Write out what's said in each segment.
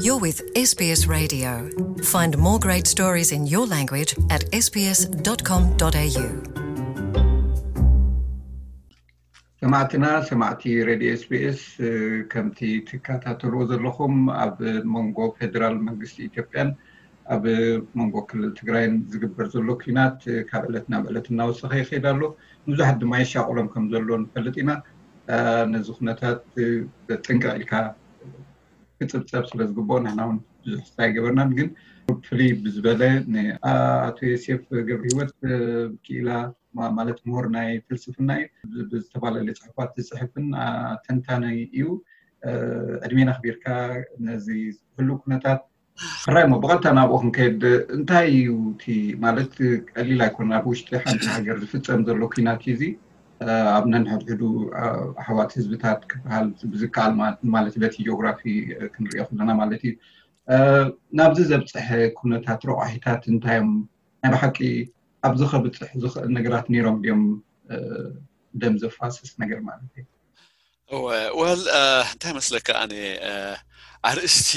You're with S B S Radio. Find more great stories in your language at S B S dot com dot A U. ሰማዕትና ሰማዕቲ ሬድዮ ኤስቢኤስ፣ ከምቲ ትከታተልዎ ዘለኹም ኣብ መንጎ ፌደራል መንግስቲ ኢትዮጵያን ኣብ መንጎ ክልል ትግራይን ዝግበር ዘሎ ኲናት ካብ ዕለት ናብ ዕለት እናወሰኸ ይኸይድ ኣሎ። ንብዙሓት ድማ የሻቕሎም ከም ዘሎ ንፈልጥ ኢና። ነዚ ኩነታት ብጥንቅቕ ኢልካ ክፅብፀብ ስለ ዝግብኦ ንሕና እውን ብዙሕ ስታይ ገበርናን። ግን ፍልይ ብዝበለ ንኣቶ ዮሴፍ ገብረ ህይወት ክኢላ ማለት ምሁር ናይ ፍልስፍና እዩ። ብዝተፈላለየ ፅሑፋት ዝፅሕፍን ተንታኒ እዩ። ዕድሜና ኣኽቢርካ ነዚ ህሉው ኩነታት ሕራይ እሞ ብቐጥታ ናብኡ ክንከይድ፣ እንታይ እዩ እቲ ማለት ቀሊል ኣይኮነ ኣብ ውሽጢ ሓንቲ ሃገር ዝፍፀም ዘሎ ኲናት እዚ ኣብ ነንሕድሕዱ ኣሕዋት ህዝብታት ክበሃል ብዝከኣል ማለት በቲ ጂኦግራፊ ክንሪኦ ከለና ማለት እዩ። ናብዚ ዘብፅሐ ኩነታት ረቋሒታት እንታይ እዮም? ናይ ብሓቂ ኣብዚ ከብፅሕ ዝኽእል ነገራት ነይሮም ድዮም? ደም ዘፋስስ ነገር ማለት እዩ። እወ፣ ወል እንታይ መስለካ፣ ኣነ ኣርእስቲ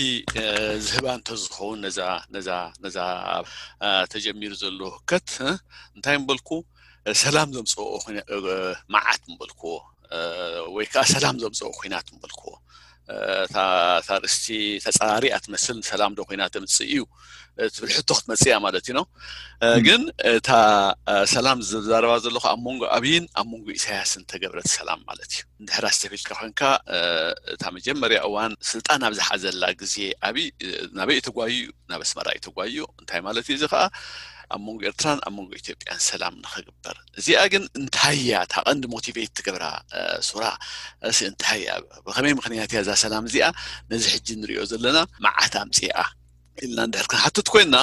ዝህባ እንተዝኸውን ነዛ ነዛ ነዛ ተጀሚሩ ዘሎ ህከት እንታይ ምበልኩ? ሰላም ዘምፅኦ መዓት ምበልኩዎ፣ ወይ ከዓ ሰላም ዘምፅኦ ኩናት ምበልኩዎ። እታ ኣርእስቲ ተፃራሪያ ትመስል። ሰላም ዶ ኮይና ተምፅእ እዩ ትብል ሕቶ ክትመፅእ እያ ማለት እዩ ነው። ግን እታ ሰላም ዝዛረባ ዘለኹ ኣብ መንጎ ኣብይን ኣብ መንጎ ኢሳያስን ተገብረት ሰላም ማለት እዩ። እንድሕር ኣስተፊልካ ኮንካ፣ እታ መጀመርያ እዋን ስልጣን ኣብ ዝሓዘላ ግዜ ኣብይ ናበይ እዩ ተጓዩ? ናብ ኣስመራ እዩ ተጓዩ። እንታይ ማለት እዩ እዚ ከዓ? ኣብ መንጎ ኤርትራን ኣብ መንጎ ኢትዮጵያን ሰላም ንኸግበር። እዚኣ ግን እንታይ እያ እታ ቀንዲ ሞቲቬት ትገብራ? ሱራ እሲ እንታይ እያ? ብኸመይ ምኽንያት እያ እዛ ሰላም እዚኣ ነዚ ሕጂ ንሪኦ ዘለና መዓት ኣምፅኣ ኢልና እንድሕር ክንሓትት ኮይንና፣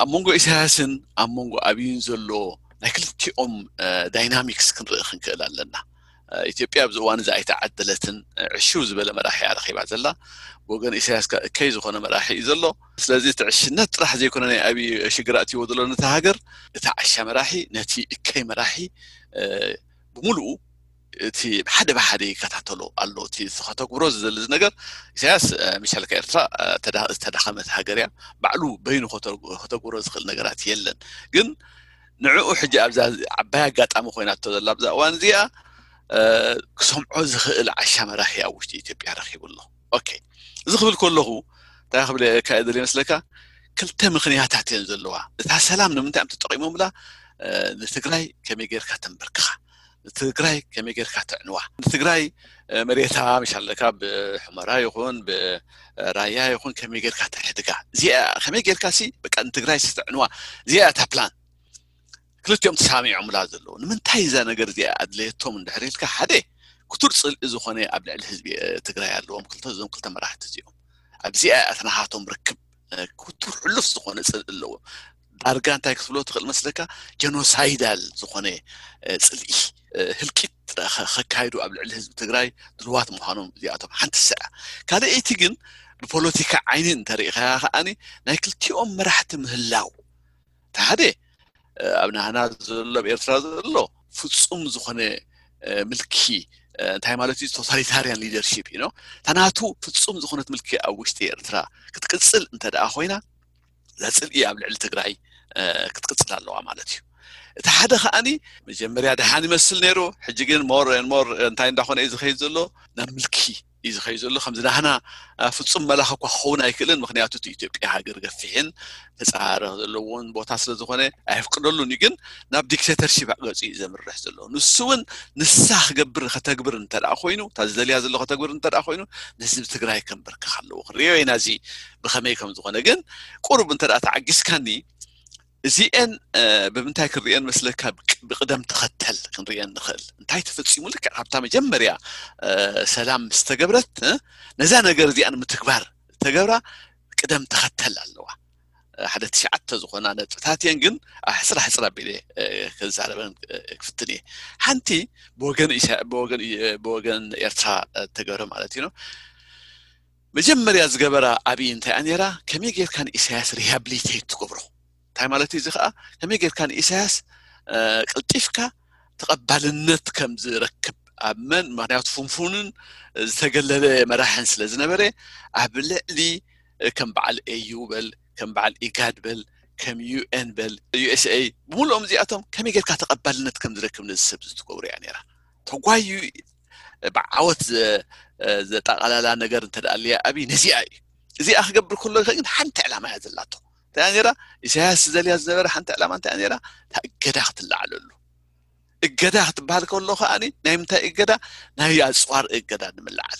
ኣብ መንጎ ኢሳያስን ኣብ መንጎ ኣብይን ዘሎ ናይ ክልቲኦም ዳይናሚክስ ክንርኢ ክንክእል ኣለና። ኢትዮጵያ ኣብዚ እዋን እዚ ኣይተዓደለትን። ዕሽው ዝበለ መራሒ እያ ረኺባ ዘላ። ብወገን ኢሳያስ ከ እከይ ዝኾነ መራሒ እዩ ዘሎ። ስለዚ እቲ ዕሽነት ጥራሕ ዘይኮነ ናይ ኣብይ ሽግር ኣትይዎ ዘሎ ነቲ ሃገር፣ እቲ ዓሻ መራሒ ነቲ እከይ መራሒ ብሙሉኡ እቲ ሓደ ብሓደ ይከታተሎ ኣሎ። እቲ ከተግብሮ ዝደሊ ነገር ኢሳያስ ምሻል ከኤርትራ ዝተዳኸመት ሃገር እያ። ባዕሉ በይኑ ከተግብሮ ዝኽእል ነገራት የለን። ግን ንዕኡ ሕጂ ኣብዛ ዓባይ ኣጋጣሚ ኮይናቶ ዘላ ኣብዛ እዋን እዚኣ ክሰምዖ ዝኽእል ዓሻ መራሒ ኣብ ውሽጢ ኢትዮጵያ ረኺቡ ኣሎ። ኦኬ፣ እዚ ክብል ከለኹ እንታይ ክብል እየ ደልየ መስለካ? ክልተ ምኽንያታት እየን ዘለዋ። እታ ሰላም ንምንታይ እዮም ተጠቒሞምላ? ንትግራይ ከመይ ጌርካ ተንበርክኻ፣ ንትግራይ ከመይ ጌርካ ተዕንዋ፣ ንትግራይ መሬታ ምሽ ኣለካ ብሑመራ ይኹን ብራያ ይኹን ከመይ ጌርካ ተሕድጋ፣ እዚኣ ከመይ ጌርካ ሲ በቃ ንትግራይ ሲ ተዕንዋ፣ እዚኣ እታ ፕላን። ክልቲኦም ተሳሚዖምላ ዘለዉ ንምንታይ እዛ ነገር እዚኣ ኣድለየቶም እንድሕር ኢልካ፣ ሓደ ክቱር ፅልኢ ዝኾነ ኣብ ልዕሊ ህዝቢ ትግራይ ኣለዎም ክልተ እዞም ክልተ መራሕቲ እዚኦም። ኣብዚኣ እያ እቲ ናሃቶም ርክብ ክቱር ሕሉፍ ዝኾነ ፅልኢ ኣለዎም። ዳርጋ እንታይ ክትብሎ ትኽእል መስለካ? ጀኖሳይዳል ዝኾነ ፅልኢ፣ ህልቂት ከካይዱ ኣብ ልዕሊ ህዝቢ ትግራይ ድልዋት ምዃኖም እዚኣቶም ሓንቲ ስዐ። ካልኣይቲ ግን ብፖለቲካ ዓይኒ እንተሪኢኻያ ከዓኒ ናይ ክልቲኦም መራሕቲ ምህላው፣ እቲ ሓደ ኣብ ናህና ዘሎ ኣብ ኤርትራ ዘሎ ፍጹም ዝኾነ ምልኪ፣ እንታይ ማለት እዩ? ቶታሊታርያን ሊደርሺፕ እዩ። እታ ናቱ ፍጹም ዝኾነት ምልኪ ኣብ ውሽጢ ኤርትራ ክትቅጽል እንተ ደኣ ኮይና፣ እዛ ጽልኢ ኣብ ልዕሊ ትግራይ ክትቅጽል ኣለዋ ማለት እዩ። እቲ ሓደ ከዓኒ መጀመርያ ደሓን ይመስል ነይሩ፣ ሕጂ ግን ሞር ሞር እንታይ እንዳኾነ እዩ ዝኸይድ ዘሎ? ናብ ምልኪ እዩ ዝኸይድ ዘሎ። ከምዚ ናህና ፍጹም መላኽ እኳ ክኸውን ኣይክእልን፣ ምክንያቱ እቲ ኢትዮጵያ ሃገር ገፊሕን ተጻረኽ ዘለዎን ቦታ ስለ ዝኾነ ኣየፍቅደሉን እዩ። ግን ናብ ዲክቴተርሺፕ ገጹ እዩ ዘምርሕ ዘሎ። ንሱ እውን ንሳ ክገብር ከተግብር እንተ ደኣ ኮይኑ፣ እታ ዝደልያ ዘሎ ከተግብር እንተ ደኣ ኮይኑ፣ ንህዝቢ ትግራይ ከንበርክኽ ኣለዎ። ክንሪኦ ኢና እዚ ብኸመይ ከም ዝኾነ። ግን ቁሩብ እንተ ደኣ ተዓጊስካኒ፣ እዚኤን ብምንታይ ክንሪኤን መስለካ? ብቅደም ተኸተል ክንሪኤን ንኽእል። እንታይ ተፈጺሙ? ልክዕ ካብታ መጀመርያ ሰላም ምስ ተገብረት፣ ነዛ ነገር እዚኣ ንምትግባር ተገብራ ቅደም ተኸተል ኣለዋ። ሓደ ትሽዓተ ዝኾና ነጥብታት እየን፣ ግን ሕፅራ ሕፅራ ኣቢለ ክዛረበን ክፍትን እየ። ሓንቲ ብወገን ኤርትራ ተገብረ ማለት እዩ። መጀመርያ ዝገበራ ኣብይ እንታይ እያ ነይራ? ከመይ ጌርካ ንኢሳያስ ሪሃብሊቴት ትገብሮ? እንታይ ማለት እዩ እዚ ከዓ? ከመይ ጌርካ ንኢሳያስ ቀልጢፍካ ተቐባልነት ከም ዝረክብ ኣብ መን? ምክንያቱ ፍንፉንን ዝተገለለ መራሕን ስለ ዝነበረ ኣብ ልዕሊ ከም በዓል ኤዩ በል፣ ከም በዓል ኢጋድ በል፣ ከም ዩ ኤን በል፣ ዩ ኤስ ኤ፣ ብምሉኦም እዚኣቶም ከመይ ጌርካ ተቐባልነት ከም ዝረክብ ነዚ ሰብ እዚ ትገብሮ እያ ነይራ። ተጓዩ ብዓወት ዘ- ዘጠቓላላ ነገር እንተ ደኣ ኣልያ ኣብይ ነዚኣ እዩ። እዚኣ ክገብር ከሎ ግን ሓንቲ ዕላማ እያ ዘላቶ። እንታይ እያ ነይራ? ኢሳያስ ዝደልያ ዝነበረ ሓንቲ ዕላማ እንታይ እያ ነይራ? እታ እገዳ ክትለዓለሉ። እገዳ ክትበሃል ከሎ ከኣ ናይ ምንታይ እገዳ? ናይ ኣፅዋር እገዳ ንምልዓል።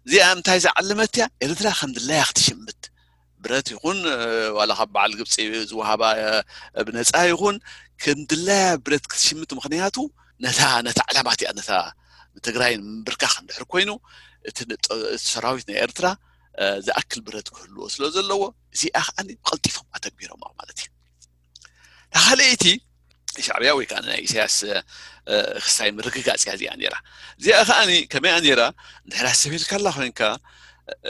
እዚኣ እንታይ ዝዓለመት እያ? ኤርትራ ከም ድላያ ክትሽምት፣ ብረት ይኹን ዋላ ካብ በዓል ግብፂ ዝወሃባ ብነፃ ይኹን፣ ከም ድላያ ብረት ክትሽምት። ምክንያቱ ነታ ነታ ዕላማ እቲኣ፣ ነታ ትግራይ ምብርካኽ እንድሕር ኮይኑ፣ እቲ ሰራዊት ናይ ኤርትራ ዝኣክል ብረት ክህልዎ ስለ ዘለዎ፣ እዚኣ ከዓ ብቐልጢፎም ኣተግቢሮማ ማለት እዩ። ካልኣይቲ ሻዕብያ ወይ ከዓ ናይ ኢሳያስ ክስታይ ምርግጋፅ እያ እዚኣ ነይራ። እዚኣ ከዓ ከመይ እያ ነይራ? እንድሕር ኣሰቢልካላ ኮይንካ፣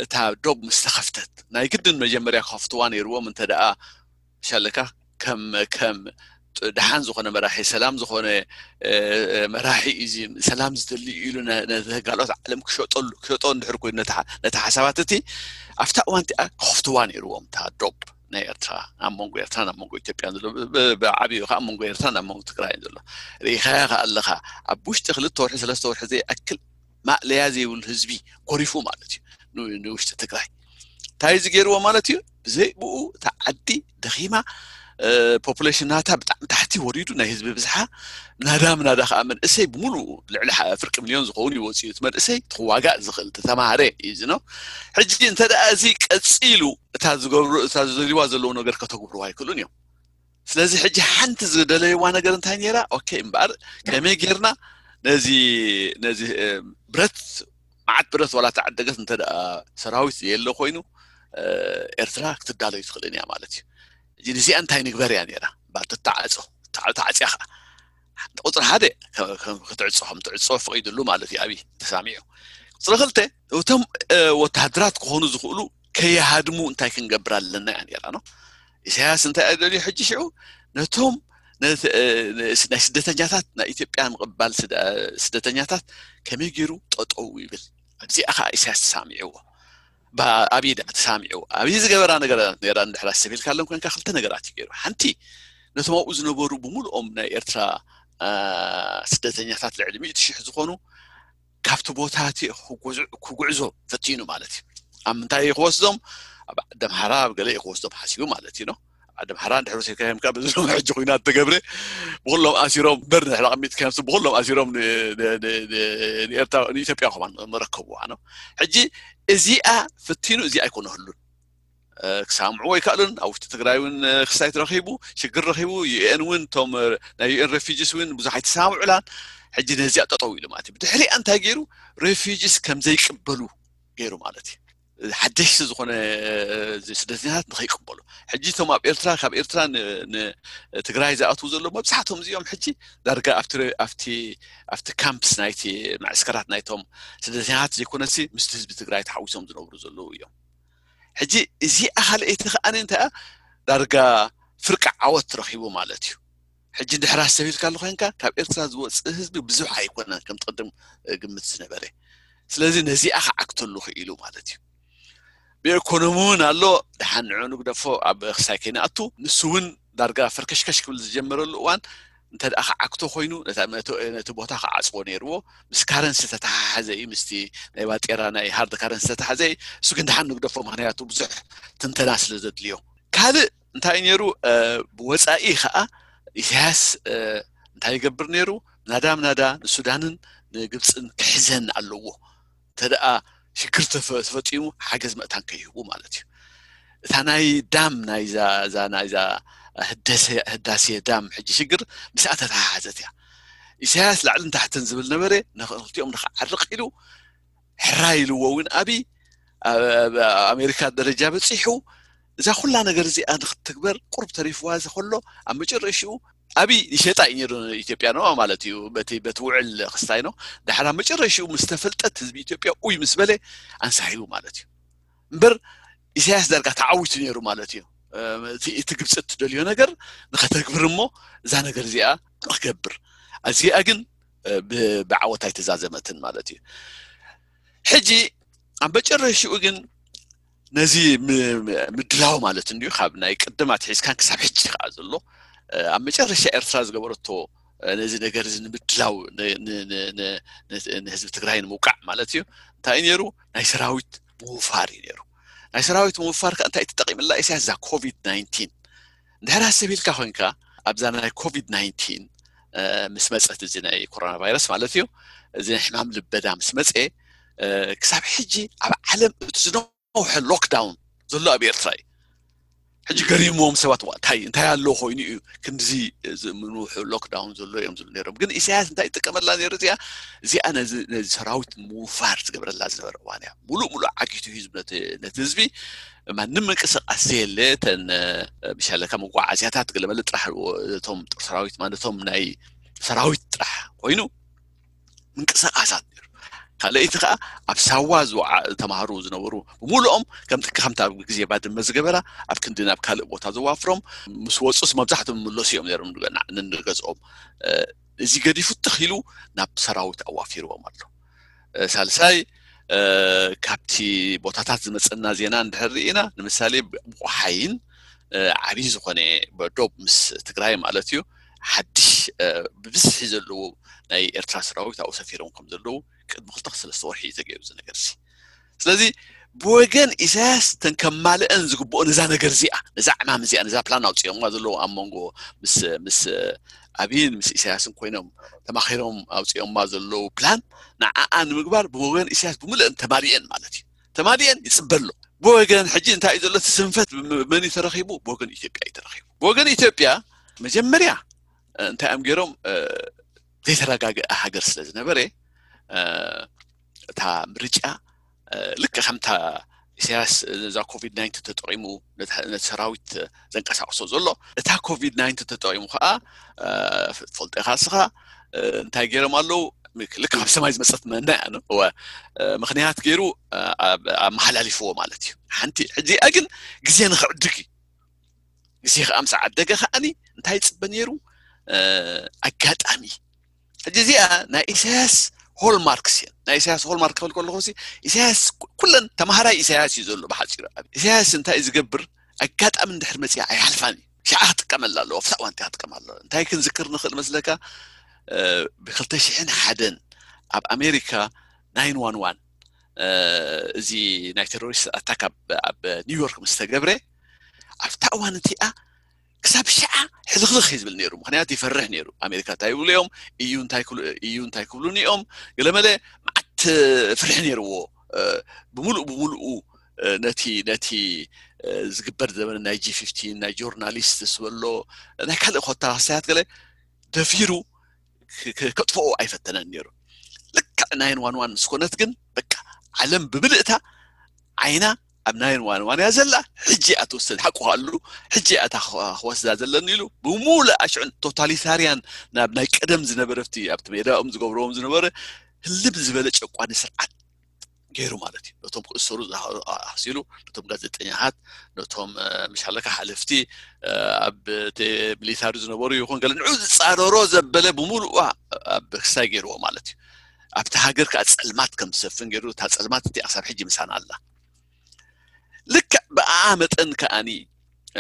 እታ ዶብ ምስ ተኸፍተት፣ ናይ ግድን መጀመርያ ክኸፍትዋ ነይርዎም። እንተ ደኣ ሻለካ ከም ከም ደሓን ዝኾነ መራሒ፣ ሰላም ዝኾነ መራሒ እዩ፣ ሰላም ዝደሊ ኢሉ ነቲ ካልኦት ዓለም ክሸጠሉ ክሸጦ እንድሕር ኮይኑ ነቲ ሓሳባት እቲ ኣብታ እዋን እቲኣ ክኸፍትዋ ነይርዎም። እታ ዶብ ናይ ኤርትራ፣ ኣብ መንጎ ኤርትራ ናብ መንጎ ኢትዮጵያ ዘሎ፣ ብዓብዩ ከዓ ኣብ መንጎ ኤርትራ ናብ መንጎ ትግራይ ዘሎ። ርኢኻያ ከዓ ኣለኻ፣ ኣብ ውሽጢ ክልተ ወርሒ ሰለስተ ወርሒ ዘይኣክል ማእለያ ዘይብሉ ህዝቢ ጎሪፉ ማለት እዩ ንውሽጢ ትግራይ። እንታይ እዚ ገይርዎ ማለት እዩ? ብዘይ ብኡ እታ ዓዲ ደኺማ፣ ፖፑሌሽን ናታ ብጣዕሚ ታሕቲ ወሪዱ፣ ናይ ህዝቢ ብዝሓ ናዳ ምናዳ ከዓ መንእሰይ ብምሉኡ ልዕሊ ፍርቂ ሚልዮን ዝኸውን እዩ ወፂኡ። እቲ መንእሰይ ክዋጋእ ዝኽእል ዝተማሃረ እዩ ዝኖ። ሕጂ እንተ ደኣ እዚ ቀፂሉ እታ ዝገብሩ እታ ዝደልዋ ዘለዉ ነገር ከተግብሩ ኣይክእሉን እዮም። ስለዚ ሕጂ ሓንቲ ዝደለይዋ ነገር እንታይ ነይራ? ኦኬ እምበኣር ከመይ ጌርና ነዚ ነዚ ብረት መዓት ብረት ዋላ ተዓደገት እንተ ሰራዊት የለ ኮይኑ ኤርትራ ክትዳለዩ ትኽእልን እያ ማለት እዩ። እዚ ንዚኣ እንታይ ንግበር እያ ነይራ? ባር ትተዓጾ ተዓጽያ ከዓ ቁፅሪ ሓደ ክትዕጾ ከም ትዕጾ ፈቂድሉ ማለት እዩ። ኣብይ ተሳሚዑ። ቁፅሪ ክልተ እቶም ወታደራት ክኾኑ ዝኽእሉ ከይሃድሙ እንታይ ክንገብር ኣለና እያ ነይራ ነው። ኢሳያስ እንታይ እያ ደልዩ ሕጂ ሽዑ ነቶም ናይ ስደተኛታት ናይ ኢትዮጵያ ምቕባል ስደተኛታት ከመይ ገይሩ ጠጠው ይብል። ኣብዚኣ ከዓ ኢሳያስ ተሳሚዕዎ። ኣብይ ደኣ ተሳሚዕዎ። ኣብይ ዝገበራ ነገራት ነራ እንድሕር ኣሰቢልካ ኣለን ኮንካ ክልተ ነገራት እዩ ገይሩ። ሓንቲ ነቶም ኣብኡ ዝነበሩ ብምሉኦም ናይ ኤርትራ ስደተኛታት ልዕሊ ሚእቲ ሽሕ ዝኾኑ ካብቲ ቦታ እቲ ክጉዕዞ ፈቲኑ ማለት እዩ። ኣብ ምንታይ እዩ ክወስዶም? ኣብ ዓዲ ኣምሓራ ኣብ ገለ እዩ ክወስዶም ሓሲቡ ማለት እዩ። ዓዲ ኣምሓራ እንድሕር ወሲድካዮም ከኣ በዚ ሎሚ ሕጂ ኩናት ተገብረ ብኩሎም ኣሲሮም እምበር ንሕና ኣቐሚጥካዮም ብኩሎም ኣሲሮም ንኤርትራ ንኢትዮጵያ ከማን መረከብዋ ነው። ሕጂ እዚኣ ፍቲኑ እዚኣ ኣይኮነ ህሉን ክሳምዕዎ ኣይከኣሉን። ኣብ ውሽጢ ትግራይ እውን ክስታይ ረኺቡ ሽግር ረኺቡ ዩኤን እውን እቶም ናይ ዩኤን ሬፊጂስ እውን ብዙሕ ኣይተሳምዑላን። ሕጂ ነዚኣ ጠጠው ኢሉ ማለት እዩ። ብድሕሪኣ እንታይ ገይሩ? ሬፊጂስ ከም ዘይቅበሉ ገይሩ ማለት እዩ። ሓደሽቲ ዝኾነ ስደተኛታት ንኸይቅበሉ ሕጂ እቶም ኣብ ኤርትራ ካብ ኤርትራ ንትግራይ ዝኣትዉ ዘለዉ መብዛሕትኦም እዚኦም ሕጂ ዳርጋ ኣብቲ ካምፕስ ናይቲ መዕስከራት ናይቶም ስደተኛታት ዘይኮነሲ ምስቲ ህዝቢ ትግራይ ተሓዊሶም ዝነብሩ ዘለዉ እዮም። ሕጂ እዚኣ ካልኣይቲ ከዓኒ እንታይ ዳርጋ ፍርቂ ዓወት ረኺቡ ማለት እዩ። ሕጂ እንድሕር ኣስተብሂልካሉ ኮይንካ ካብ ኤርትራ ዝወፅእ ህዝቢ ብዙሕ ኣይኮነን ከም ትቕድም ግምት ዝነበረ። ስለዚ ነዚኣ ክዓግተሉ ክኢሉ ማለት እዩ። ብኤኮኖሚ እውን ኣሎ። ደሓን ንዑ ንግደፎ ኣብ ክሳይ ከይንኣቱ ንሱ እውን ዳርጋ ፈርከሽከሽ ክብል ዝጀመረሉ እዋን እንተ ደኣ ክዓግቶ ኮይኑ ነቲ ቦታ ክዓፅዎ ነይርዎ። ምስ ካረንሲ ተተሓሓዘ እዩ፣ ምስቲ ናይ ባጤራ ናይ ሃርድ ካረንሲ ተተሓዘ እዩ። እሱ ግን ደሓን ንግደፎ፣ ምክንያቱ ብዙሕ ትንተና ስለ ዘድልዮ። ካልእ እንታይ ነይሩ? ብወፃኢ ከዓ ኢሳያስ እንታይ ይገብር ነይሩ? ናዳ ምናዳ ንሱዳንን ንግብፅን ክሕዘን ኣለዎ። እንተ ደኣ ሽግር ተፈ- ተፈፂሙ ሓገዝ መእታን ከይህቡ ማለት እዩ። እታ ናይ ዳም ናይዛ እዛ ናይዛ ህደሰ- ህዳሴ ዳም ሕጂ ሽግር ምስኣ ተተሓሓዘት እያ። ኢሳያስ ላዕልን ታሕትን ዝብል ነበረ፣ ንክልቲኦም ንክዓርቕ ኢሉ ሕራይ ኢልዎ እውን ኣብይ ኣብ ኣሜሪካ ደረጃ በፂሑ እዛ ኩላ ነገር እዚኣ ንክትግበር ቁሩብ ተሪፍዋ ከሎ ኣብ መጨረሽኡ ኣብይ ይሸጣ እዩ ነይሩ ኢትዮጵያ ነው ማለት እዩ። በቲ በቲ ውዕል ክስታይ ነው። ዳሕራ መጨረሽኡ ምስ ተፈልጠት ህዝቢ ኢትዮጵያ ኡይ ምስ በለ ኣንሳሒቡ ማለት እዩ። እምበር ኢሳያስ ዳርጋ ተዓዊቱ ነይሩ ማለት እዩ። እቲ ግብፂ እትደልዮ ነገር ንኸተግብር እሞ እዛ ነገር እዚኣ ንክገብር፣ እዚኣ ግን ብዓወት ኣይተዛዘመትን ማለት እዩ። ሕጂ ኣብ መጨረሽኡ ግን ነዚ ምድላው ማለት እንዲዩ ካብ ናይ ቅድም ኣትሒዝካን ክሳብ ሕጂ ከዓ ዘሎ ኣብ መጨረሻ ኤርትራ ዝገበረቶ ነዚ ነገር እዚ ንምድላው ንህዝቢ ትግራይ ንምውቃዕ ማለት እዩ። እንታይ ነይሩ? ናይ ሰራዊት ምውፋር እዩ ነይሩ። ናይ ሰራዊት ምውፋር ከዓ እንታይ ተጠቂምላ ኢሳያስ? እዛ ኮቪድ ናይንቲን እንድሕር ኣሰብ ኢልካ ኮይንካ ኣብዛ ናይ ኮቪድ ናይንቲን ምስ መፀት እዚ ናይ ኮሮና ቫይረስ ማለት እዩ፣ እዚ ናይ ሕማም ልበዳ ምስ መፀ ክሳብ ሕጂ ኣብ ዓለም እቲ ዝነውሐ ሎክዳውን ዘሎ ኣብ ኤርትራ እዩ። ሕጂ ገሪምዎም ሰባት፣ ዋ እንታይ እንታይ ኣሎ ኮይኑ እዩ ክንዚ ምንውሑ ሎክዳውን ዘሎ እዮም ዝብሉ ነይሮም። ግን ኢሳያስ እንታይ ይጥቀመላ ነይሩ? እዚኣ እዚኣ ነዚ ነዚ ሰራዊት ምውፋር ዝገብረላ ዝነበረ እዋን እያ። ሙሉእ ሙሉእ ዓጊቱ ህዝቢ ነቲ ነቲ ህዝቢ ማንም ምንቅስቃስ ዘየለ፣ ተን ምሻለካ መጓዓዝያታት ገለመለ ጥራሕ እቶም ጦር ሰራዊት ማለቶም ናይ ሰራዊት ጥራሕ ኮይኑ ምንቅስቃሳት ነይሩ። ካልኣይቲ ከዓ ኣብ ሳዋ ዝወዓ ተማሃሩ ዝነበሩ ብምሉኦም ከምቲ ከምታ ኣብ ግዜ ባድመ ዝገበራ ኣብ ክንዲ ናብ ካልእ ቦታ ዘዋፍሮም ምስ ወፁስ መብዛሕትኦም ምለሱ እዮም ነይሮም ንገዝኦም። እዚ ገዲፉ ትኽ ኢሉ ናብ ሰራዊት ኣዋፊርዎም ኣሎ። ሳልሳይ ካብቲ ቦታታት ዝመፀና ዜና እንድሕር ርኢና ንምሳሌ ብቆሓይን ዓብዪ ዝኾነ ዶብ ምስ ትግራይ ማለት እዩ ሓድሽ ብብዝሒ ዘለዎ ናይ ኤርትራ ሰራዊት ኣብኡ ሰፊሮም ከም ዘለዉ ቅድሚ ክልተ ክሰለስተ ወርሒ እዩ ተገይሩ እዚ ነገር እዚ። ስለዚ ብወገን ኢሳያስ ተን ከማልአን ዝግብኦ ነዛ ነገር እዚኣ ነዛ ዕማም እዚኣ ነዛ ፕላን ኣውፅኦምዋ ዘለዉ ኣብ መንጎ ምስ ምስ ኣብይን ምስ ኢሳያስን ኮይኖም ተማኺሮም ኣውፅኦምዋ ዘለዉ ፕላን ንዓኣ ንምግባር ብወገን ኢሳያስ ብምልአን ተማሊአን ማለት እዩ። ተማሊአን ይፅበ ኣሎ። ብወገን ሕጂ እንታይ እዩ ዘሎ? እቲ ስንፈት መን እዩ ተረኺቡ? ብወገን ኢትዮጵያ እዩ ተረኺቡ። ብወገን ኢትዮጵያ መጀመርያ እንታይ እዮም ገይሮም? ዘይተረጋገአ ሃገር ስለ ዝነበረ እታ ምርጫ ልክዕ ከምታ ኢሳያስ ነዛ ኮቪድ ናይንቲን ተጠቂሙ ነቲ ሰራዊት ዘንቀሳቅሶ ዘሎ እታ ኮቪድ ናይንቲን ተጠቂሙ ከዓ ትፈልጦ ኢኻ እስኻ እንታይ ገይሮም ኣለዉ? ልክዕ ካብ ሰማይ ዝመፀት መና እያ እወ ምክንያት ገይሩ ኣመሓላሊፍዎ ማለት እዩ። ሓንቲ ሕዚኣ ግን ግዜ ንክዕድግ እዩ። ግዜ ከዓ ምስ ዓደገ ከዓኒ እንታይ ይፅበ ነይሩ? ኣጋጣሚ ሕጂ እዚኣ ናይ ኢሳያስ ሆልማርክስ እየን። ናይ ኢሳያስ ሆልማርክ ክብል ከለኹ ኢሳያስ ኩለን ተማሃራይ ኢሳያስ እዩ ዘሎ ብሓፂሩ። ኢሳያስ እንታይ እዩ ዝገብር? ኣጋጣሚ እንድሕር መፅያ ኣይሓልፋን እዩ። ሽዓ ክጥቀመላ ኣለዎ፣ ኣብታ እዋን ክጥቀም ኣለዎ። እንታይ ክንዝክር ንኽእል መስለካ? ብክልተ ሽሕን ሓደን ኣብ ኣሜሪካ ናይን ዋን ዋን እዚ ናይ ቴሮሪስት ኣታክ ኣብ ኒውዮርክ ምስ ተገብረ ኣብታ እዋን እቲኣ ክሳብ ሽዓ ሕልኽልኽ እዩ ዝብል ነይሩ። ምክንያቱ ይፈርሕ ነይሩ። ኣሜሪካ እንታይ ይብሉ እዮም እዩ እንታይ ክብሉ እዩ እንታይ ክብሉን እዮም ገለመለ መዓት ፍርሒ ነይርዎ። ብምሉእ ብምሉኡ ነቲ ነቲ ዝግበር ዘበነ ናይ ጂ ፊፍቲን ናይ ጆርናሊስት ዝበሎ ናይ ካልእ ኮታ ክሳያት ገለ ደፊሩ ከጥፍኦ ኣይፈተነን ነይሩ። ልክዕ ናይን ዋን ዋን ምስ ኮነት ግን በቃ ዓለም ብምልእታ ዓይና ኣብ ናይን ዋን ዋን እያ ዘላ። ሕጂ እያ ትወስድ ሓቁ ኣሉ ሕጂ እያ ክወስዳ ዘለኒ ኢሉ ብሙሉእ ኣሽዑን ቶታሊታርያን ናብ ናይ ቀደም ዝነበረ ኣብቲ ኣብቲ ሜዳኦም ዝገብርዎም ዝነበረ ህልም ዝበለ ጨቋኒ ስርዓት ገይሩ ማለት እዩ። ነቶም ክእሰሩ ኣሲሉ ነቶም ጋዜጠኛታት ነቶም ምሻለካ ሓለፍቲ ኣብ ሚሊታሪ ዝነበሩ ይኹን ገለ ንዑ ዝፃረሮ ዘበለ ብምሉእ ኣብ ክስታይ ገይርዎ ማለት እዩ። ኣብቲ ሃገር ከዓ ፀልማት ከም ዝሰፍን ገይሩ እታ ፀልማት እቲ ኣሳብ ሕጂ ምሳና ኣላ። ልክዕ ብኣ መጠን ከዓኒ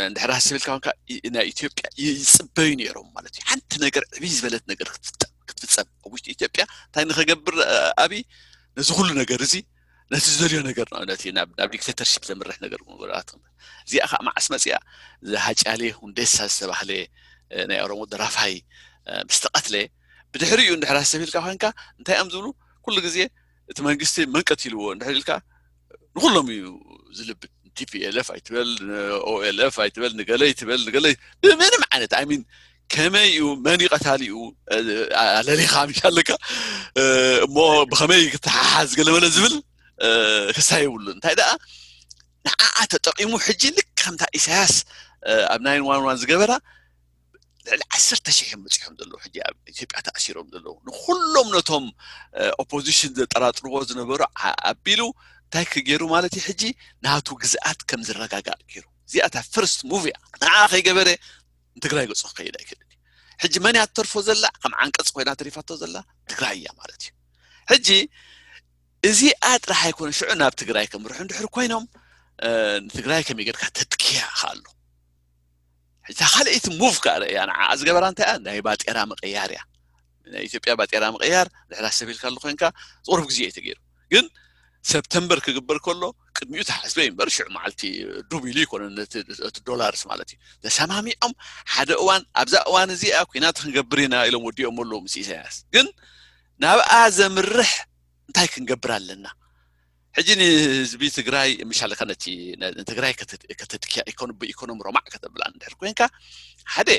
እንድሕር ሃስብ ኢልካ ኮንካ ናይ ኢትዮጵያ ይፅበዩ ነይሮም ማለት እዩ። ሓንቲ ነገር ዕብይ ዝበለት ነገር ክትፍፀም ክትፍፀም ኣብ ውሽጢ ኢትዮጵያ እንታይ ንኸገብር ኣብይ ነዚ ኩሉ ነገር እዚ ነቲ ዝደልዮ ነገር ንኣብነት ናብ ናብ ዲክቴተርሺፕ ዘምርሕ ነገር ነገራት እዚኣ ከዓ መዓስ መፅያ እዚ ሃጫሌ ሁንዴሳ ዝተባህለ ናይ ኦሮሞ ደራፋይ ምስ ተቐትለ ብድሕሪኡ እንድሕር ሃስብ ኢልካ ኮንካ እንታይ እዮም ዝብሉ? ኩሉ ግዜ እቲ መንግስቲ መንቀት ኢልዎ እንድሕር ኢልካ ንኩሎም እዩ ዝልብጥ። ቲ ፒ ኤል ኤፍ ኣይትበል ኦኤል ኤፍ ኣይትበል ንገለ ይትበል ንገለ ብምንም ዓይነት ኣይ ሚን ከመይ እዩ መን እዩ ቀታሊኡ ኣለሊኻ ምሽ ኣለካ እሞ ብኸመይ ክትሓሓዝ ገለመለ ዝብል ክሳ የብሉን። እንታይ ደኣ ንዓኣ ተጠቂሙ ሕጂ ልክ ከምታ ኢሳያስ ኣብ ናይን ዋን ዋን ዝገበራ ልዕሊ ዓሰርተ ሽሕ እዮም በፂሖም ዘለዉ ሕጂ ኣብ ኢትዮጵያ ተኣሲሮም ዘለዉ ንኩሎም ነቶም ኦፖዚሽን ዘጠራጥርዎ ዝነበሩ ኣቢሉ እንታይ ክገይሩ ማለት እዩ ሕጂ ናቱ ግዝኣት ከም ዝረጋጋእ ገይሩ እዚኣታ ፍርስት ሙቭ እያ ንዓ ከይገበረ ንትግራይ ገፁ ክኸይድ ኣይክእልን እዩ ሕጂ መን እያ ትተርፎ ዘላ ከም ዓንቀፅ ኮይና ተሪፋቶ ዘላ ትግራይ እያ ማለት እዩ ሕጂ እዚኣ ጥራሕ ኣይኮነ ሽዑ ናብ ትግራይ ከምርሑ እንድሕር ኮይኖም ንትግራይ ከመይ ጌርካ ተጥክያ ኣሎ። እታ ካልኣይቲ ሙቭ ከዓ ርእያ ንዓ ዝገበራ እንታይ እያ? ናይ ባጤራ ምቕያር እያ። ናይ ኢትዮጵያ ባጤራ ምቕያር ድሕር ኣሰቢልካ ኣሎ ኮይንካ ቁሩብ ግዜ እዩ ተገይሩ። ግን ሰፕተምበር ክግበር ከሎ ቅድሚኡ ተሓስበ እዩ እምበር ሽዑ መዓልቲ ዱብ ኢሉ ይኮነ እቲ ዶላርስ ማለት እዩ። ተሰማሚዖም ሓደ እዋን ኣብዛ እዋን እዚኣ ኩናት ክንገብር ኢና ኢሎም ወዲኦም ኣለዉ ምስ ኢሳያስ። ግን ናብኣ ዘምርሕ እንታይ ክንገብር ኣለና? ሕጂ ንህዝቢ ትግራይ ምሻለካ ነቲ ንትግራይ ከተጥክያ ኢኮኖሚ ብኢኮኖሚ ሮማዕ ከተብላ እንድሕር ኮይንካ ሓደ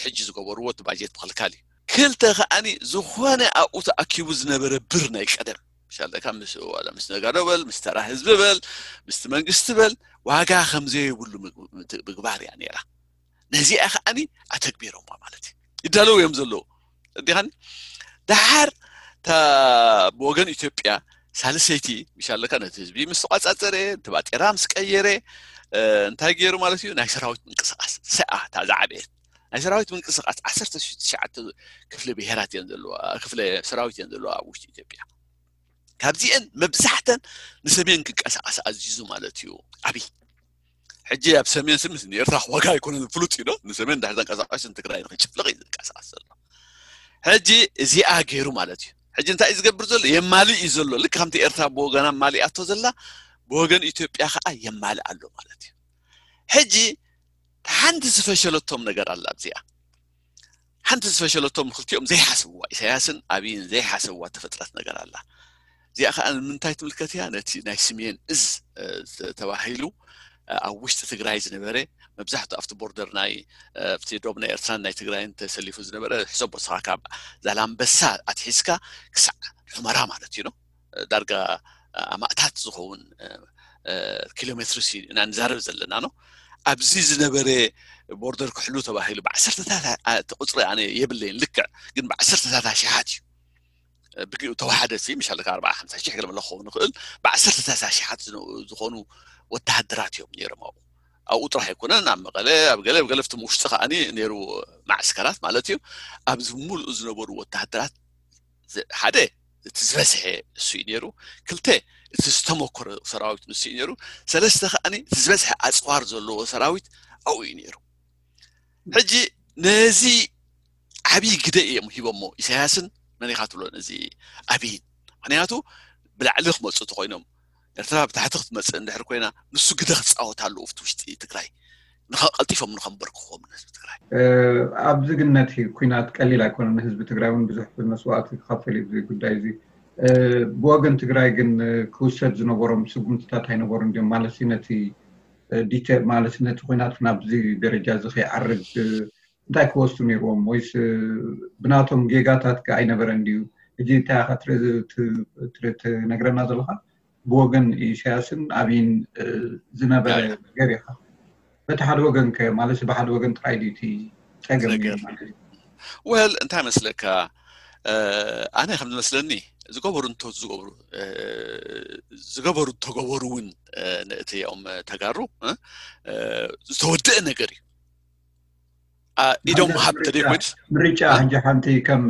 ሕጂ ዝገበርዎ እቲ ባጀት ምክልካል እዩ። ክልተ ከዓኒ ዝኾነ ኣብኡ ተኣኪቡ ዝነበረ ብር ናይ ቀደም ምሻለካ ምስ ዋላ ምስ ነጋዶ በል ምስ ተራ ህዝቢ በል ምስቲ መንግስቲ በል ዋጋ ከምዘየብሉ ምግባር እያ ነይራ። ነዚኣ ከዓኒ ኣተግቢሮማ ማለት እዩ። ይዳለዉ እዮም ዘለዉ እንዲኻኒ ደሓር ብወገን ኢትዮጵያ ሳልሰይቲ ምሻለካ ነቲ ህዝቢ ምስ ተቋጻጸረ እቲ ባጤራ ምስ ቀየረ እንታይ ገይሩ ማለት እዩ? ናይ ሰራዊት ምንቅስቃስ ሰኣ እታ ዝዓበየት ናይ ሰራዊት ምንቅስቃስ ዓሰርተ ትሽዓተ ክፍለ ብሄራት እየን ዘለዋ ክፍለ ሰራዊት እየን ዘለዋ ኣብ ውሽጢ ኢትዮጵያ። ካብዚአን መብዛሕተን ንሰሜን ክንቀሳቀስ ኣዚዙ ማለት እዩ። ኣብይ ሕጂ ኣብ ሰሜን ስምስ ንኤርትራ ዋጋ ኣይኮነን ፍሉጥ እዩ ዶ ንሰሜን እንድሕር ተንቀሳቀስ ንትግራይ ንክጭፍልቅ እዩ ዝንቀሳቀስ ዘሎ። ሕጂ እዚኣ ገይሩ ማለት እዩ። ሕጂ እንታይ እዩ ዝገብር ዘሎ? የማልእ እዩ ዘሎ። ልክ ከምቲ ኤርትራ ብወገና ማሊኣቶ ዘላ ብወገን ኢትዮጵያ ከዓ የማልእ ኣሎ ማለት እዩ። ሕጂ ሓንቲ ዝፈሸለቶም ነገር ኣላ ኣብዚኣ ሓንቲ ዝፈሸለቶም ክልቲኦም ዘይሓስብዋ ኢሳያስን ኣብይን ዘይሓስብዋ ተፈጥረት ነገር ኣላ። እዚኣ ከዓ ንምንታይ ትምልከት እያ? ነቲ ናይ ስሜን እዝ ተባሂሉ ኣብ ውሽጢ ትግራይ ዝነበረ መብዛሕትኡ ኣብቲ ቦርደር ናይ ኣብቲ ዶብ ናይ ኤርትራን ናይ ትግራይን ተሰሊፉ ዝነበረ ሕሰቦ ስኻ ካብ ዛላምበሳ ኣትሒዝካ ክሳዕ ሑመራ ማለት እዩ ነው ዳርጋ ኣማእታት ዝኸውን ኪሎ ሜትርስ ኢና ንዛረብ ዘለና ነው። ኣብዚ ዝነበረ ቦርደር ክሕሉ ተባሂሉ ብዓሰርተታት እቲ ቁፅሪ ኣነ የብለይን ልክዕ ግን ብዓሰርተታት ኣሽሓት እዩ ብግኡ ተዋሓደ ሲ ምሻለካ ኣርባዓ ሓምሳ ሺሕ ገለ መለ ክኸውን ይኽእል ብዓሰርተታት ኣሽሓት ዝኾኑ ወተሃደራት እዮም ነይሮም ኣብኡ ኣብኡ ጥራሕ ኣይኮነን ኣብ መቐለ ኣብ ገለ ገለፍቲ ውሽጢ ከዓኒ ነይሩ ማዕስከራት ማለት እዩ ኣብዚ ሙሉእ ዝነበሩ ወተሃደራት ሓደ እቲ ዝበዝሐ እሱ እዩ ነይሩ ክልተ እቲ ዝተመኮረ ሰራዊት ንሱ እዩ ነይሩ ሰለስተ ከዓኒ እቲ ዝበዝሐ ኣፅዋር ዘለዎ ሰራዊት ኣብኡ እዩ ነይሩ ሕጂ ነዚ ዓብዪ ግደ እዮም ሂቦሞ ኢሳያስን መን ኢኻ ትብሎ ነዚ ኣብይን ምክንያቱ ብላዕሊ ክመፁ እንተኮይኖም ኤርትራ ብታሕቲ ክትመፅእ እንድሕር ኮይና ንሱ ግደ ክፃወት ኣለዎ ኣብቲ ውሽጢ ትግራይ ንኸቀልጢፎም ንኸንበርክኾም ንህዝቢ ትግራይ ኣብዚ ግን ነቲ ኩናት ቀሊል ኣይኮነ ንህዝቢ ትግራይ እውን ብዙሕ መስዋእቲ ክኸፍል እዩ ጉዳይ እዚ ብወገን ትግራይ ግን ክውሰድ ዝነበሮም ስጉምትታት ኣይነበሩ እንዲም ማለት ነቲ ዲተ ማለት ነቲ ኩናት ናብዚ ደረጃ እዚ ከይዓርግ እንታይ ክወስዱ ነይርዎም ወይስ ብናቶም ጌጋታት ከ ኣይነበረ እንዲዩ ሕጂ እንታይ ኢኻ ትነግረና ዘለካ ብወገን ኢሳያስን ኣብይን ዝነበረ ነገር ኢኻ በቲ ሓደ ወገን ከ ማለት ብሓደ ወገን ጥራይ ድዩ እቲ ፀገም ማለት እዩ ወል እንታይ መስለካ ኣነ ከም ዝመስለኒ ዝገበሩ እንቶ ዝገበሩ ዝገበሩ እንተገበሩ እውን ንእቲኦም ተጋሩ ዝተወደአ ነገር እዩ ኢዶም ምሃብ ተደይኮይንስ ምርጫ ሕጂ ሓንቲ ከም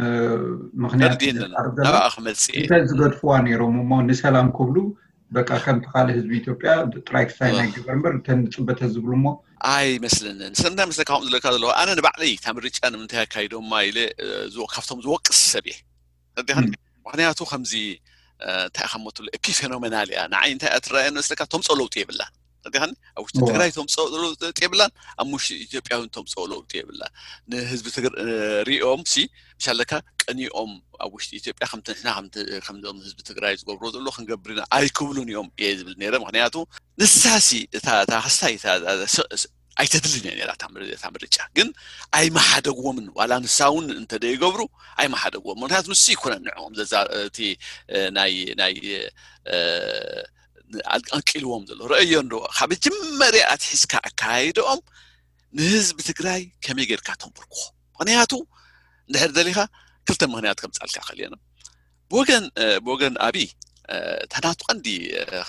ምክንያት ናብኣ ክመፅእ እንተ ዝገድፍዋ ነይሮም እሞ ንሰላም ክብሉ በቃ ከምቲ ካልእ ህዝቢ ኢትዮጵያ ጥራይ ክሳይ ናይ ገበር እምበር እተን ንፅበተ ዝብሉ እሞ ኣይመስለንን ስለምንታይ መስለካ ከምኡ ዝለካ ዘለኹ ኣነ ንባዕለይ እታ ምርጫ ንምንታይ ኣካይዶማ ኢለ ካብቶም ዝወቅስ ሰብ እየ ተረዲኻኒ ምክንያቱ ከምዚ እንታይ ኢኻ ሞ ትብሎ ኤፒፌኖሜናል እያ ንዓይ እንታይ እያ ትረኣየኒ መስለካ ተምፅኦ ለውጢ የብላን ተረዲኻኒ ኣብ ውሽጢ ትግራይ ተምፅኦ ለውጢ የብላን ኣብ ውሽጢ ኢትዮጵያ እውን ተምፅኦ ለውጢ የብላን ንህዝቢ ሪኦም ሲ ምሻለካ ቀኒኦም ኣብ ውሽጢ ኢትዮጵያ ከምቲ ንሕና ከምዞም ህዝቢ ትግራይ ዝገብሮ ዘሎ ክንገብር ኢና ኣይክብሉን እዮም እየ ዝብል ነይረ ምክንያቱ ንሳሲ እታ ክስታይ ኣይተድልን እያ ነራ እታ ምርጫ ግን ኣይመሓደግዎምን ዋላ ንሳ እውን እንተደይገብሩ ኣይመሓደግዎም ምክንያቱ ንሱ ይኮነን ንዕኦም እቲ ናይ ናይ ኣንቂልዎም ዘሎ ረአዮ እንዶ ካብ መጀመርያ ኣትሒዝካ ኣካይድኦም ንህዝቢ ትግራይ ከመይ ጌርካ ተንብርክኾ ምክንያቱ እንድሕር ደሊኻ ክልተ ምክንያት ከምፃልካ ከልየና ብወገን ብወገን ኣብይ ተናቱ ቀንዲ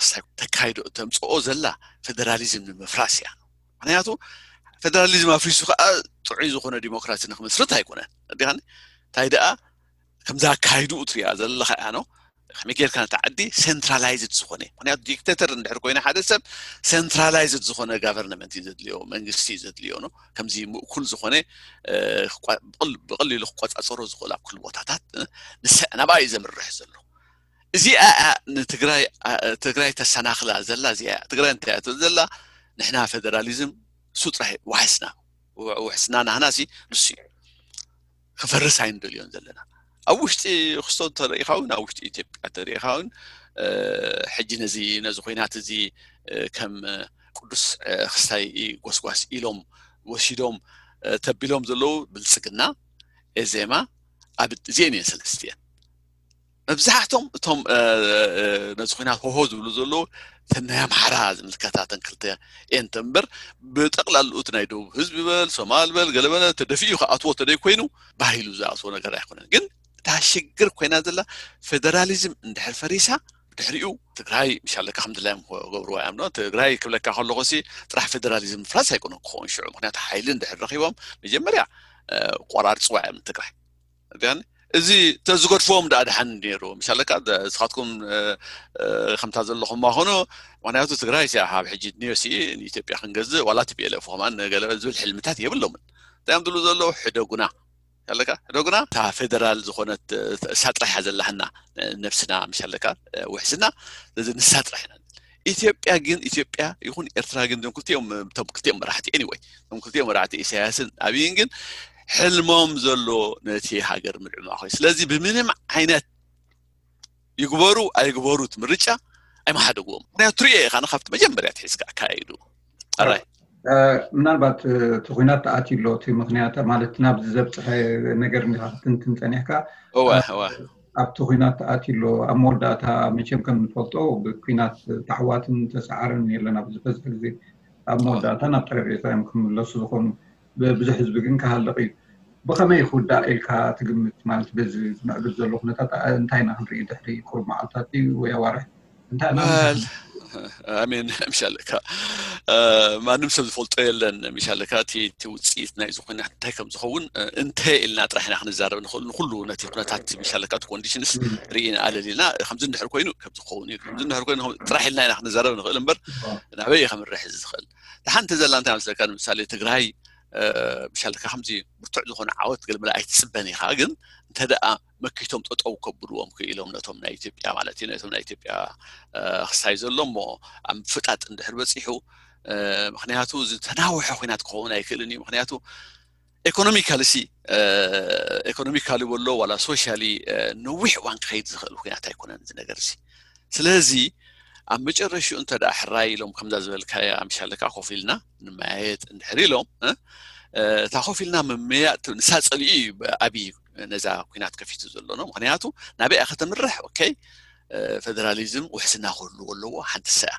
ክስታይ ተካይዶ ተምፅኦ ዘላ ፌደራሊዝም ንምፍራስ እያ ምክንያቱ ፌደራሊዝም ኣፍሪሱ ከዓ ጥዑይ ዝኾነ ዲሞክራሲ ንክምስርት ኣይኮነን እንዲኻን እንታይ ደኣ ከምዛ ኣካይድኡ ትሪኣ ዘለኻ እያ ነው ከመይ ጌርካ ነቲ ዓዲ ሴንትራላይዝድ ዝኾነ፣ ምክንያቱ ዲክቴተር እንድሕር ኮይነ ሓደ ሰብ ሴንትራላይዝድ ዝኾነ ጋቨርንመንት እዩ ዘድልዮ፣ መንግስቲ እዩ ዘድልዮ ነው። ከምዚ ምእኩል ዝኾነ ብቐሊሉ ክቆፃፀሮ ዝኽእል ኣብ ኩሉ ቦታታት ንስዕ ናብኣ እዩ ዘምርሕ ዘሎ። እዚኣ ንትግራይ ትግራይ ተሰናኽላ ዘላ እዚኣ ትግራይ እንታይ እያ ትብል ዘላ? ንሕና ፌደራሊዝም እሱ ጥራሕ ዋሕስና ውሕስና ናህና ሲ ንሱ እዩ። ክፈርስ ኣይንደልዮን ዘለና። ኣብ ውሽጢ ክስቶ እንተሪኢኻ እውን ኣብ ውሽጢ ኢትዮጵያ እንተሪኢኻ እውን ሕጂ ነዚ ነዚ ኮይናት እዚ ከም ቅዱስ ክስታይ ጎስጓስ ኢሎም ወሲዶም ተቢሎም ዘለዉ ብልፅግና፣ ኤዜማ፣ ኣብ እዚአን እየን ሰለስቲአን። መብዛሕቶም እቶም ነዚ ኩናት ሆሆ ዝብሉ ዘለዉ ተን ናይ ኣምሓራ ዝምልከታ ተን ክልተ እየን እምበር ብጠቕላልኡ እቲ ናይ ደቡብ ህዝቢ በል ሶማል በል ገለበለ ተደፊኡ ክኣትዎ ተደይ ኮይኑ ባሂሉ ዝኣትዎ ነገር ኣይኮነን። ግን እታ ሽግር ኮይና ዘላ ፌደራሊዝም እንድሕር ፈሪሳ ድሕሪኡ ትግራይ ምሻለካ ከም ድላዮም ክገብርዋ እዮም። ትግራይ ክብለካ ከለኹ ሲ ጥራሕ ፌደራሊዝም ምፍራስ ኣይኮነን ክኸውን ሽዑ፣ ምክንያቱ ሓይሊ እንድሕር ረኪቦም መጀመርያ ቆራርፅዋ እዮም ትግራይ። እዚ ተዝገድፍዎም ደኣ ድሓን ነይሩ ምሻለካ። ንስኻትኩም ከምታ ዘለኹም ማኾኖ፣ ምክንያቱ ትግራይ ሲ ካብ ሕጂ ድንዮ ሲ ንኢትዮጵያ ክንገዝእ ዋላ ቲፒኤልኤፍ ከማን ገለ ዝብል ሕልምታት የብሎምን። እንታይ እዮም ዝብሉ ዘለዉ? ሕደጉና ኣለካ ሕደጉና እታ ፌደራል ዝኾነት እሳ ጥራሕ እያ ዘላህና ነብስና ምሻለካ ውሕስና። ስለዚ ንሳ ጥራሕ ኢና። ኢትዮጵያ ግን ኢትዮጵያ ይኹን ኤርትራ ግን እዞም ክልቲኦም እቶም ክልቲኦም መራሕቲ anyway እቶም ክልቲኦም መራሕቲ ኢሳያስን ኣብይን ግን ሕልሞም ዘሎ ነቲ ሃገር ምድዕማኽ እዩ። ስለዚ ብምንም ዓይነት ይግበሩ ኣይግበሩ እቲ ምርጫ ኣይመሓደግዎም። ምክንያቱ ትሪኦ ኢኻ ካብቲ መጀመርያ ትሒዝካ ኣካየዱ ኣራይ ምናልባት እቲ ኩናት ተኣትዩ ኣሎ እቲ ምክንያት ማለት ናብዚ ዘብፅሐ ነገር እንዲካ ክትንትን ፀኒሕካ ኣብቲ ኩናት ተኣትዩ ኣሎ ኣብ መወዳእታ መቸም ከም ንፈልጦ ብኩናት ታሕዋትን ተሰዓርን የለን ኣብዚ በዝሒ ግዜ ኣብ መወዳእታ ናብ ጠረጴዛ እዮም ክምለሱ ዝኾኑ ብዙሕ ህዝቢ ግን ክሃልቕ እዩ ብኸመይ ክውዳእ ኢልካ ትግምት ማለት በዚ ዝምዕብል ዘሎ ኩነታት እንታይ ኢና ክንርኢ ድሕሪ ቁሩብ መዓልታት ወይ ኣዋርሕ ኣሜን ምሻለካ ማንም ሰብ ዝፈልጦ የለን ምሻለካ እቲ ውፅኢት ናይ ዝኾነ እንታይ ከም ዝኸውን እንተ ኢልና ጥራሕ ኢና ክንዛረብ ንኽእል ንኩሉ ነቲ ኩነታት ምሻለካ እቲ ኮንዲሽንስ ርኢና ኣለል ኢልና ከምዚ እንድሕር ኮይኑ ከም ዝኸውን እዩ ከምዚ እንድሕር ኮይኑ ጥራሕ ኢልና ኢና ክንዛረብ ንኽእል እምበር ናበይ ከምርሕ ዝኽእል ሓንቲ ዘላ እንታይ መስለካ ንምሳሌ ትግራይ ምሻለካ ከምዚ ብርቱዕ ዝኾነ ዓወት ገለመለ ኣይትፅበን ኢኻ ግን እንተ ደኣ መኪቶም ጠጠው ከብልዎም ክኢሎም ነቶም ናይ ኢትዮጵያ ማለት እዩ ነቶም ናይ ኢትዮጵያ ክስታይ ዘሎ እሞ ኣብ ምፍጣጥ እንድሕር በፂሑ ምክንያቱ ዝተናውሐ ኩናት ክኸውን ኣይክእልን እዩ ምክንያቱ ኤኮኖሚካሊ ሲ ኤኮኖሚካሊ በሎ ዋላ ሶሻሊ ነዊሕ እዋን ክኸይድ ዝኽእል ኩናት ኣይኮነን እዚ ነገር እዚ ስለዚ ኣብ መጨረሽኡ እንተ ደኣ ሕራይ ኢሎም ከምዛ ዝበልካያ ምሻለካ ኮፍ ኢልና ንመያየጥ እንድሕር ኢሎም እታ ኮፍ ኢልና ምምያጥ ንሳ ፀሊኡ እዩ ኣብይ ነዛ ኩናት ከፊቱ ዘሎ ነው ምክንያቱ ናበይ ከተምርሕ ኦኬ ፌደራሊዝም ውሕስና ክህልዎ ኣለዎ ሓንቲ ሰያ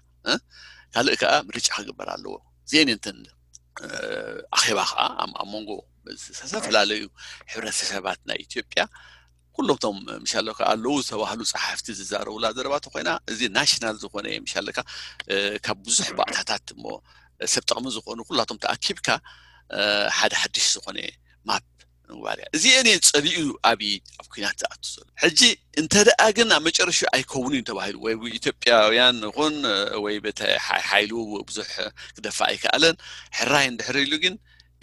ካልእ ከዓ ምርጫ ክግበር ኣለዎ ዜን እንትን ኣኼባ ከዓ ኣብ መንጎ ዝተፈላለዩ ሕብረተሰባት ናይ ኢትዮጵያ ኩሎም ቶም ምሻሎ ኣለዉ ዝተባህሉ ፀሓፍቲ ዝዛረቡላ ዘረባ ተኮይና እዚ ናሽናል ዝኾነ ምሻለካ ካብ ብዙሕ ባእታታት እሞ ሰብ ጥቕሚ ዝኾኑ ኩላቶም ተኣኪብካ ሓደ ሓድሽ ዝኾነ ማፕ ምግባር እያ እዚአን እየን ፀሊኡ ኣብይ ኣብ ኩናት ዝኣቱ ዘሎ ሕጂ እንተ ደኣ ግን ኣብ መጨረሹ ኣይከውኑ እዩ ተባሂሉ ወይ ኢትዮጵያውያን ይኹን ወይ በተ ሓይሉ ብዙሕ ክደፋ ኣይከኣለን ሕራይ እንድሕር ኢሉ ግን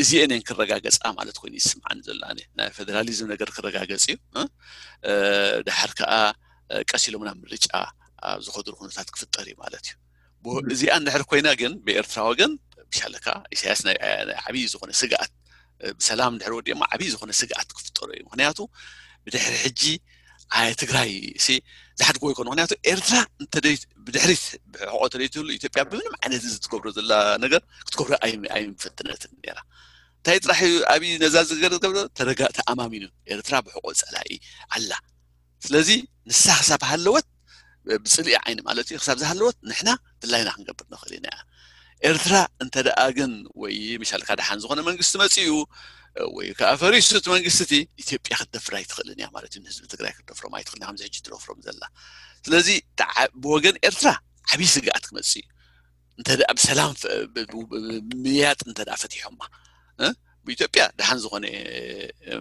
እዚአን እየን ክረጋገፃ ማለት ኮይኑ ይስምዓኒ ዘሎ ናይ ፌደራሊዝም ነገር ክረጋገፅ እዩ ድሓር ከዓ ቀስ ኢሎም ናብ ምርጫ ዝኸድሩ ኩነታት ክፍጠር እዩ ማለት እዩ እዚኣ እንድሕር ኮይና ግን ብኤርትራ ወገን ብሻለካ ኢሳያስ ናይ ዓብዪ ዝኾነ ስግኣት ብሰላም እንድሕር ወዲኦማ ዓብዪ ዝኾነ ስግኣት ክፍጠሩ እዩ ምክንያቱ ብድሕሪ ሕጂ ትግራይ ሲ ዝሓድጎ ይኮኑ ምክንያቱ ኤርትራ ብድሕሪት ብሕቆ ተደይትህሉ ኢትዮጵያ ብምንም ዓይነት እዚ ትገብሮ ዘላ ነገር ክትገብሮ ኣይምፈትነትን ነራ እንታይ ጥራሕ ኣብይ ነዛ ዝገር ዝገብሮ ተረጋ ተኣማሚኑ ኤርትራ ብሕቆ ፀላኢ ኣላ ስለዚ ንሳ ክሳብ ሃለወት ብፅልኢ ዓይኒ ማለት እዩ ክሳብ ዝሃለወት ንሕና ድላይና ክንገብር ንኽእል ኢና ኤርትራ እንተ ደኣ ግን ወይ ምሻልካ ደሓን ዝኾነ መንግስቲ መፅኡ ወይ ከዓ ፈሪሱ እቲ መንግስቲ እቲ ኢትዮጵያ ክትደፍር ኣይትኽእልን እያ ማለት እዩ ንህዝቢ ትግራይ ክትደፍሮም ኣይትኽእልን ከምዚ ሕጂ ትደፍሮም ዘላ ስለዚ ብወገን ኤርትራ ዓብዪ ስግኣት ክመፅእ እዩ እንተ ደኣ ብሰላም ምያጥ እንተ ደኣ ፈቲሖማ ብኢትዮጵያ ደሓን ዝኾነ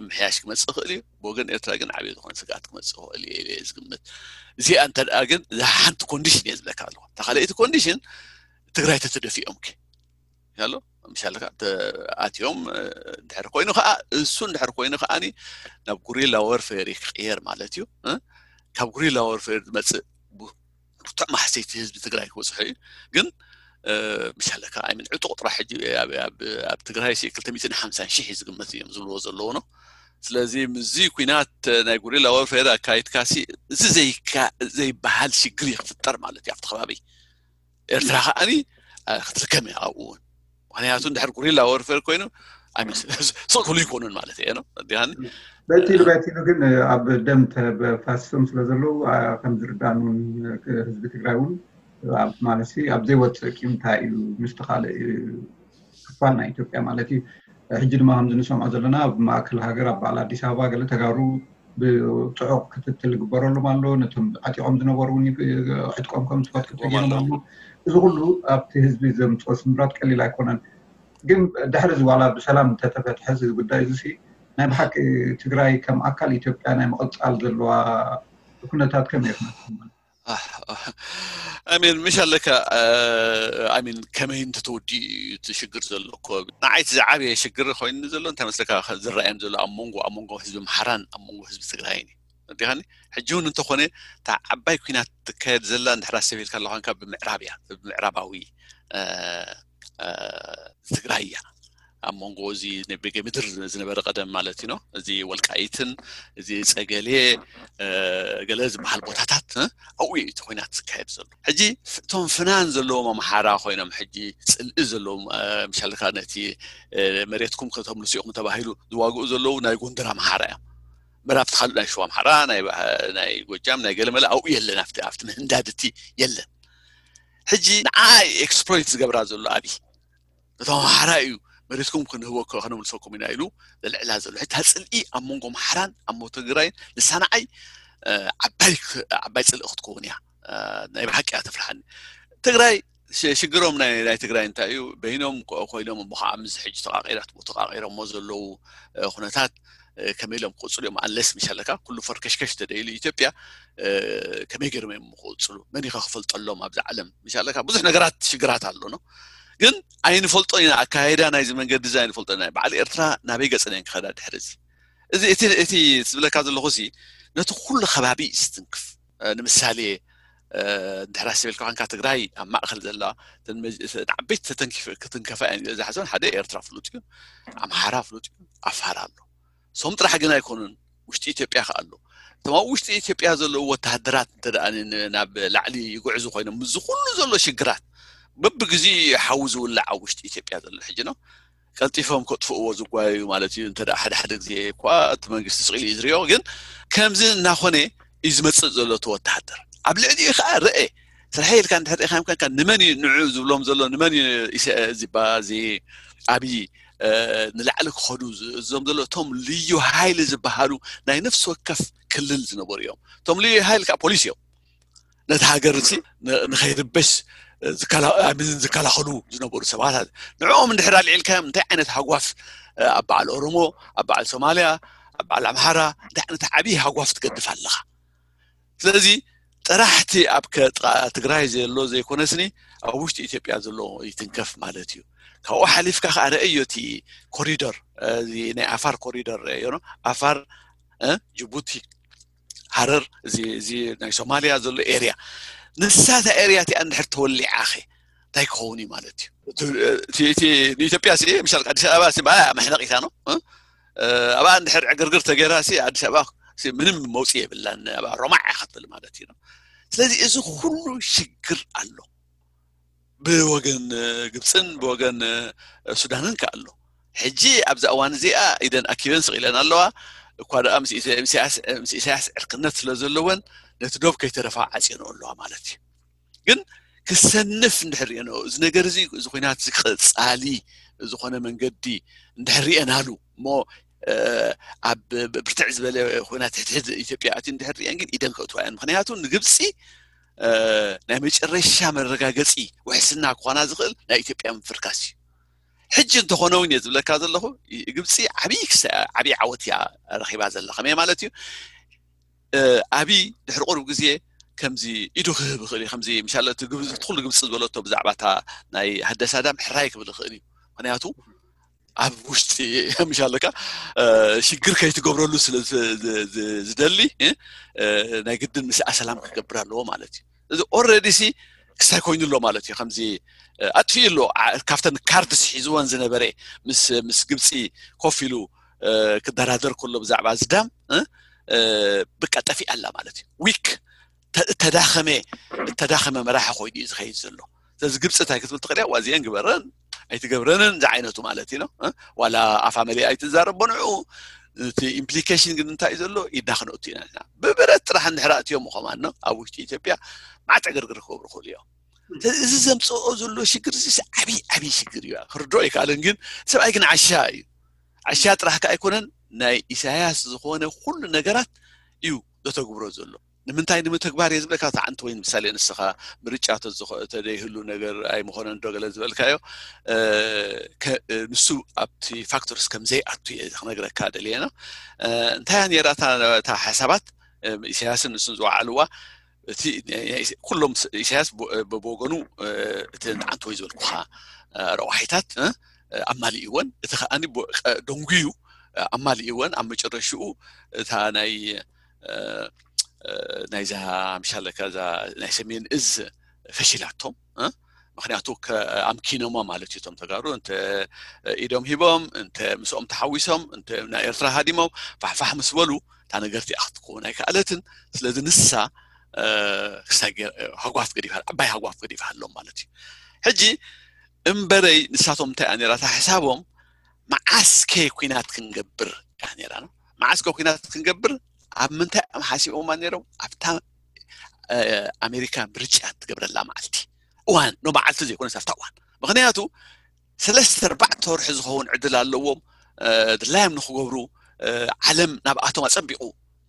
ምሕያሽ ክመፅእ ይኽእል እዩ። ብወገን ኤርትራ ግን ዓብዪ ዝኾነ ስግኣት ክመፅእ ይኽእል እዩ ኢለ እየ ዝግምት። እዚኣ እንተ ደኣ ግን እዛ ሓንቲ ኮንዲሽን እየ ዝብለካ ኣለኹ። እታ ካልኣይቲ ኮንዲሽን ትግራይ ተተደፊኦም ከ ኣሎ ምሻለካ ኣትዮም ድሕር ኮይኑ ከዓ እሱ ድሕር ኮይኑ ከዓኒ ናብ ጉሪላ ወርፌር ክቅየር ማለት እዩ። ካብ ጉሪላ ወርፌር ዝመፅእ ብርቱዕ ማሕሰይቲ ህዝቢ ትግራይ ክበፅሑ እዩ። ግን ምሻለካ ኣይምን ዕጡቕ ጥራሕ ሕጂ ኣብ ትግራይ ክልተ ሚእትን ሓምሳን ሺሕ ዝግመት እዮም ዝብልዎ ዘለዉ ነው። ስለዚ ምዚ ኩናት ናይ ጉሪላ ወርፌር ኣካይድካሲ እዚ ዘይበሃል ሽግር ይክፍጠር ማለት እዩ ኣብቲ ከባቢ። ኤርትራ ከዓኒ ክትልከም እያ ኣብኡ እውን። ምክንያቱ እንድሕር ጉሪላ ወርፌር ኮይኑ ስቕ ክብሉ ይኮኑን ማለት እየ ነው ዲሃኒ። በቲ ኢሉ በቲ ኢሉ ግን ኣብ ደም ተፋስሶም ስለ ዘለዉ ከም ዝርዳን እውን ህዝቢ ትግራይ እውን ማለት ኣብ ዘይወፅእ ቂምታ ኢሉ ምስቲ ካልእ ክፋል ናይ ኢትዮጵያ ማለት እዩ። ሕጂ ድማ ከምዚ ንሰምዖ ዘለና ኣብ ማእከል ሃገር ኣብ በዓል ኣዲስ ኣበባ ገለ ተጋሩ ብፅዑቕ ክትትል ይግበረሎም ኣሎ። ነቶም ዓጢቖም ዝነበሩ እውን ዕጥቆም ከም ዝፈትሑ ተገይሮም ኣሎ። እዚ ኩሉ ኣብቲ ህዝቢ ዘምፅኦ ስምራት ቀሊል ኣይኮነን። ግን ድሕሪ እዚ ዋላ ብሰላም እንተተፈትሐ እዚ ጉዳይ እዚ ናይ ብሓቂ ትግራይ ከም ኣካል ኢትዮጵያ ናይ ምቕፃል ዘለዋ ኩነታት ከመይ ይኽነትኩም? ኣሚን ምሽ ኣለካ ኣሚን ከመይ እንተተወዲኡ እዩ እቲ ሽግር ዘሎ እኮ ንዓይቲ ዝዓበየ ሽግር ኮይኑ ዘሎ እንታይ መስለካ ዝረኣየም ዘሎ ኣብ መንጎ ኣብ መንጎ ህዝቢ ምሓራን ኣብ መንጎ ህዝቢ ትግራይን እዩ። እንዲኻኒ ሕጂ እውን እንተኾነ እታ ዓባይ ኩናት ትካየድ ዘላ እንድሕር ኣሰብ ኢልካ ኣለኳንካ ብምዕራብ እያ ብምዕራባዊ ትግራይ እያ ኣብ መንጎ እዚ በጌ ምድር ዝነበረ ቀደም ማለት እዩ እዚ ወልቃይትን እዚ ፀገሌ ገለ ዝበሃል ቦታታት ኣብኡ እቲ ኮይናት ዝካየድ ዘሎ ሕጂ እቶም ፍናን ዘለዎም ኣምሓራ ኮይኖም ሕጂ ፅልኢ ዘለዎም ምሻልካ ነቲ መሬትኩም ከተምልሱ ኢኹም ተባሂሉ ዝዋግኡ ዘለዉ ናይ ጎንደር ኣምሓራ እዮም ምራብቲ ካልእ ናይ ሸዋ ኣምሓራ ናይ ጎጃም ናይ ገለመለ ኣብኡ የለን ኣብቲ ምህንዳድቲ የለን ሕጂ ንዓ ኤክስፕሎይት ዝገብራ ዘሎ ኣብይ እቶም ኣምሓራ እዩ መሬትኩም ክንህበ ከነምልሰኩም ኢና ኢሉ ዘልዕላ ዘሎ ሕጂ ታፅልኢ ኣብ መንጎ ኣምሓራን ኣብ መንጎ ትግራይን ልሳንዓይ ዓባይ ዓባይ ፅልኢ ክትከውን እያ ናይ ብሓቂ እያ ተፍርሓኒ ትግራይ ሽግሮም ናይ ትግራይ እንታይ እዩ በይኖም ኮይኖም እሞ ከዓ ምስ ሕጂ ተቃቂራት ተቃቂሮሞ ዘለዉ ኩነታት ከመይ ኢሎም ክቅፅሉ እዮም ኣለስ ምሻለካ ኩሉ ፈርከሽከሽ ተደይሉ ኢትዮጵያ ከመይ ገይሮም እዮም ክቅፅሉ መን ኢኻ ክፈልጠሎም ኣብዚ ዓለም ምሻለካ ብዙሕ ነገራት ሽግራት ኣሎ ነው ግን ኣይንፈልጦ ኢና ኣካይዳ ናይዚ መንገዲ እዚ ኣይንፈልጦ ኢና በዓል ኤርትራ ናበይ ገፀን እየን ክኸዳ ድሕሪ እዚ እዚ እቲ ዝብለካ ዘለኹ ሲ ነቲ ኩሉ ከባቢ እዩ ዝትንክፍ ንምሳሌ እንድሕር ኣስብ ኢልካ ኮንካ ትግራይ ኣብ ማእኸል ዘላ ዓበይቲ ክትንከፋ እየን ዝሓሰበን ሓደ ኤርትራ ፍሉጥ እዩ ኣምሓራ ፍሉጥ እዩ ኣፋር ኣሎ ሶም ጥራሕ ግን ኣይኮኑን ውሽጢ ኢትዮጵያ ከ ኣሎ እቶም ኣብ ውሽጢ ኢትዮጵያ ዘለዉ ወተሃደራት እንተ ናብ ላዕሊ ይጉዕዙ ኮይኖም ምዚ ኩሉ ዘሎ ሽግራት በብግዜ ሓዊ ዝውላዕ ኣብ ውሽጢ ኢትዮጵያ ዘሎ ሕጂ ነው ቀልጢፎም ከጥፍእዎ ዝጓየዩ ማለት እዩ እንተ ሓደ ሓደ ግዜ እኳ እቲ መንግስቲ ስቕ ኢሉ እዩ ዝሪኦ ግን ከምዚ እናኾነ እዩ ዝመፅእ ዘሎ እቲ ወተሃደር ኣብ ልዕሊኡ ከዓ ርአ ስርሐ ኢልካ እንድሕር ርኢኻ ምከንካ ንመን እዩ ንዑ ዝብሎም ዘሎ ንመን እዩ እዚ ኣብዚ ኣብይ ንላዕሊ ክኸዱ ዝእዞም ዘሎ እቶም ልዩ ሃይሊ ዝበሃሉ ናይ ነፍሲ ወከፍ ክልል ዝነበሩ እዮም እቶም ልዩ ሃይሊ ከዓ ፖሊስ እዮም ነቲ ሃገር እዚ ንኸይርበሽ ዝከላኸሉ ዝነበሩ ሰባት ንዕኦም እንድሕር ኣልዒልካዮም እንታይ ዓይነት ሃጓፍ ኣብ በዓል ኦሮሞ ኣብ በዓል ሶማልያ ኣብ በዓል ኣምሃራ እንታይ ዓይነት ዓብዪ ሃጓፍ ትገድፍ ኣለኻ ስለዚ ጥራሕቲ ኣብ ትግራይ ዘሎ ዘይኮነስኒ ኣብ ውሽጢ ኢትዮጵያ ዘሎ ይትንከፍ ማለት እዩ ካብኡ ሓሊፍካ ከዓ ረአዮ እቲ ኮሪደር ናይ ኣፋር ኮሪደር ረአዮ ኣፋር ጅቡቲ ሃረር እዚ ናይ ሶማልያ ዘሎ ኤርያ ንሳ እታ ኤርያ እቲኣ እንድሕር ተወሊዓ ኸ እንታይ ክኸውን እዩ ማለት እዩ ንኢትዮጵያ ሲ ምሻል ኣዲስ ኣበባ ሲ ባያ መሕነቂታ ነው ኣብኣ እንድሕር ዕግርግር ተገይራ ሲ ኣዲስ ኣበባ ምንም መውፅኢ የብላን ኣብኣ ሮማዕ እያ ክትብል ማለት እዩ ስለዚ እዚ ኩሉ ሽግር ኣሎ ብወገን ግብፅን ብወገን ሱዳንን ከ ኣሎ ሕጂ ኣብዚ እዋን እዚኣ ኢደን ኣኪበን ስቕ ኢለን ኣለዋ እኳ ደኣ ምስ ኢሳያስ ዕርክነት ስለ ዘለወን ነቲ ዶብ ከይተረፋ ዓፅየንኦ ኣለዋ ማለት እዩ ግን ክሰንፍ እንድሕር ሪአንኦ እዚ ነገር እዚ እዚ ኮይናት እዚ ቀፃሊ ዝኾነ መንገዲ እንድሕር ሪአናሉ እሞ ኣብ ብርትዕ ዝበለ ኮይናት ሕድሕድ ኢትዮጵያ ኣትዩ እንድሕር ሪአን ግን ኢደን ከእትዋ እየን ምክንያቱ ንግብፂ ናይ መጨረሻ መረጋገፂ ውሕስና ክኾና ዝኽእል ናይ ኢትዮጵያ ምፍርካስ እዩ ሕጂ እንተኾነ እውን እየ ዝብለካ ዘለኹ፣ ግብፂ ዓብዪ ክሳ ዓብዪ ዓወት እያ ረኺባ ዘላ። ከመይ ማለት እዩ? ኣብይ ድሕሪ ቁሩብ ግዜ ከምዚ ኢዱ ክህብ ይኽእል እዩ። ከምዚ ምሻለ እቲ ግብፂ፣ እቲ ኩሉ ግብፂ ዝበለቶ ብዛዕባ እታ ናይ ህደሳ ዳም ሕራይ ክብል ይኽእል እዩ። ምክንያቱ ኣብ ውሽጢ ምሻለካ ሽግር ከይትገብረሉ ስለ ዝደሊ ናይ ግድን ምስኣ ሰላም ክገብር ኣለዎ ማለት እዩ። እዚ ኦረዲ ሲ ክሳይ ኮይኑ ኣሎ ማለት እዩ። ከምዚ ኣጥፊኡ ኣሎ። ካብተን ካርድስ ሒዝወን ዝነበረ ምስ ግብፂ ኮፍ ኢሉ ክደራደር ከሎ ብዛዕባ ዝዳም ብቃ ጠፊኣ ኣላ ማለት እዩ። ዊክ፣ ተዳኸመ፣ ተዳኸመ መራሒ ኮይኑ እዩ ዝኸይድ ዘሎ። ስለዚ ግብፂ እንታይ ክትብል ትኽእል እያ? ዋዚአን ግበረን ኣይትገብረንን ዝዓይነቱ ማለት እዩ። ዋላ ኣፋ መሊኣ ኣይትዛረቦ ንዕኡ። እቲ ኢምፕሊኬሽን ግን እንታይ እዩ ዘሎ? ኢድና ክነእቱ ኢና ንሕና። ብብረት ጥራሕ እንድሕር ኣእትዮም ምኾማን ኣብ ውሽጢ ኢትዮጵያ ማዕት ዕግርግር ክገብሩ ክእሉ እዮም። እዚ ዘምፅኦ ዘሎ ሽግር እዚ ዓብዪ ዓብዪ ሽግር እዩ። ክርድኦ ኣይከኣልን። ግን ሰብኣይ ግን ዓሻ እዩ። ዓሻ ጥራሕ ከ ኣይኮነን፣ ናይ ኢሳያስ ዝኾነ ኩሉ ነገራት እዩ ዘተግብሮ ዘሎ። ንምንታይ ንምትግባር እየ ዝብለካ? ተዓንቲ ወይ ምሳሌ ንስኻ ምርጫ ተደይህሉ ነገር ኣይምኾነን ዶ ገለ ዝበልካዮ፣ ንሱ ኣብቲ ፋክተርስ ከም ዘይኣቱ እየ ክነግረካ ደልየ ነው። እንታይ እያ ነይራ እታ ሓሳባት? ኢሳያስን ንሱን ዝወዓልዋ፣ እቲ ኩሎም ኢሳያስ ብወገኑ እቲ ንዓንተ ወይ ዝበልኩኻ ረቋሒታት ኣማሊእወን፣ እቲ ከኣ ደንጉዩ ኣማሊእወን። ኣብ መጨረሽኡ እታ ናይ ናይዛ ምሻለካ እዛ ናይ ሰሜን እዝ ፈሺላቶም። ምክንያቱ ኣምኪኖማ ማለት እዩ። እቶም ተጋሩ እንተ ኢዶም ሂቦም፣ እንተ ምስኦም ተሓዊሶም፣ እንተ ናይ ኤርትራ ሃዲሞም ፋሕፋሕ ምስ በሉ እታ ነገር እቲኣ ክትከውን ኣይከኣለትን። ስለዚ ንሳ ክሳይ ሃጓፍ ገዲፋ፣ ዓባይ ሃጓፍ ገዲፋ ኣሎም ማለት እዩ። ሕጂ እምበረይ ንሳቶም እንታይ እያ ነይራ እታ ሕሳቦም? መዓስከ ኩናት ክንገብር እያ ነይራ ነው። መዓስከ ኩናት ክንገብር ኣብ ምንታይ እዮም ሓሲቦማ ነይሮም? ኣብታ ኣሜሪካ ምርጫ ትገብረላ መዓልቲ፣ እዋን ነው፣ መዓልቲ ዘይኮነስ ኣብታ እዋን። ምክንያቱ ሰለስተ ኣርባዕተ ወርሒ ዝኸውን ዕድል ኣለዎም ድላዮም ንክገብሩ። ዓለም ናብኣቶም ኣፀቢቑ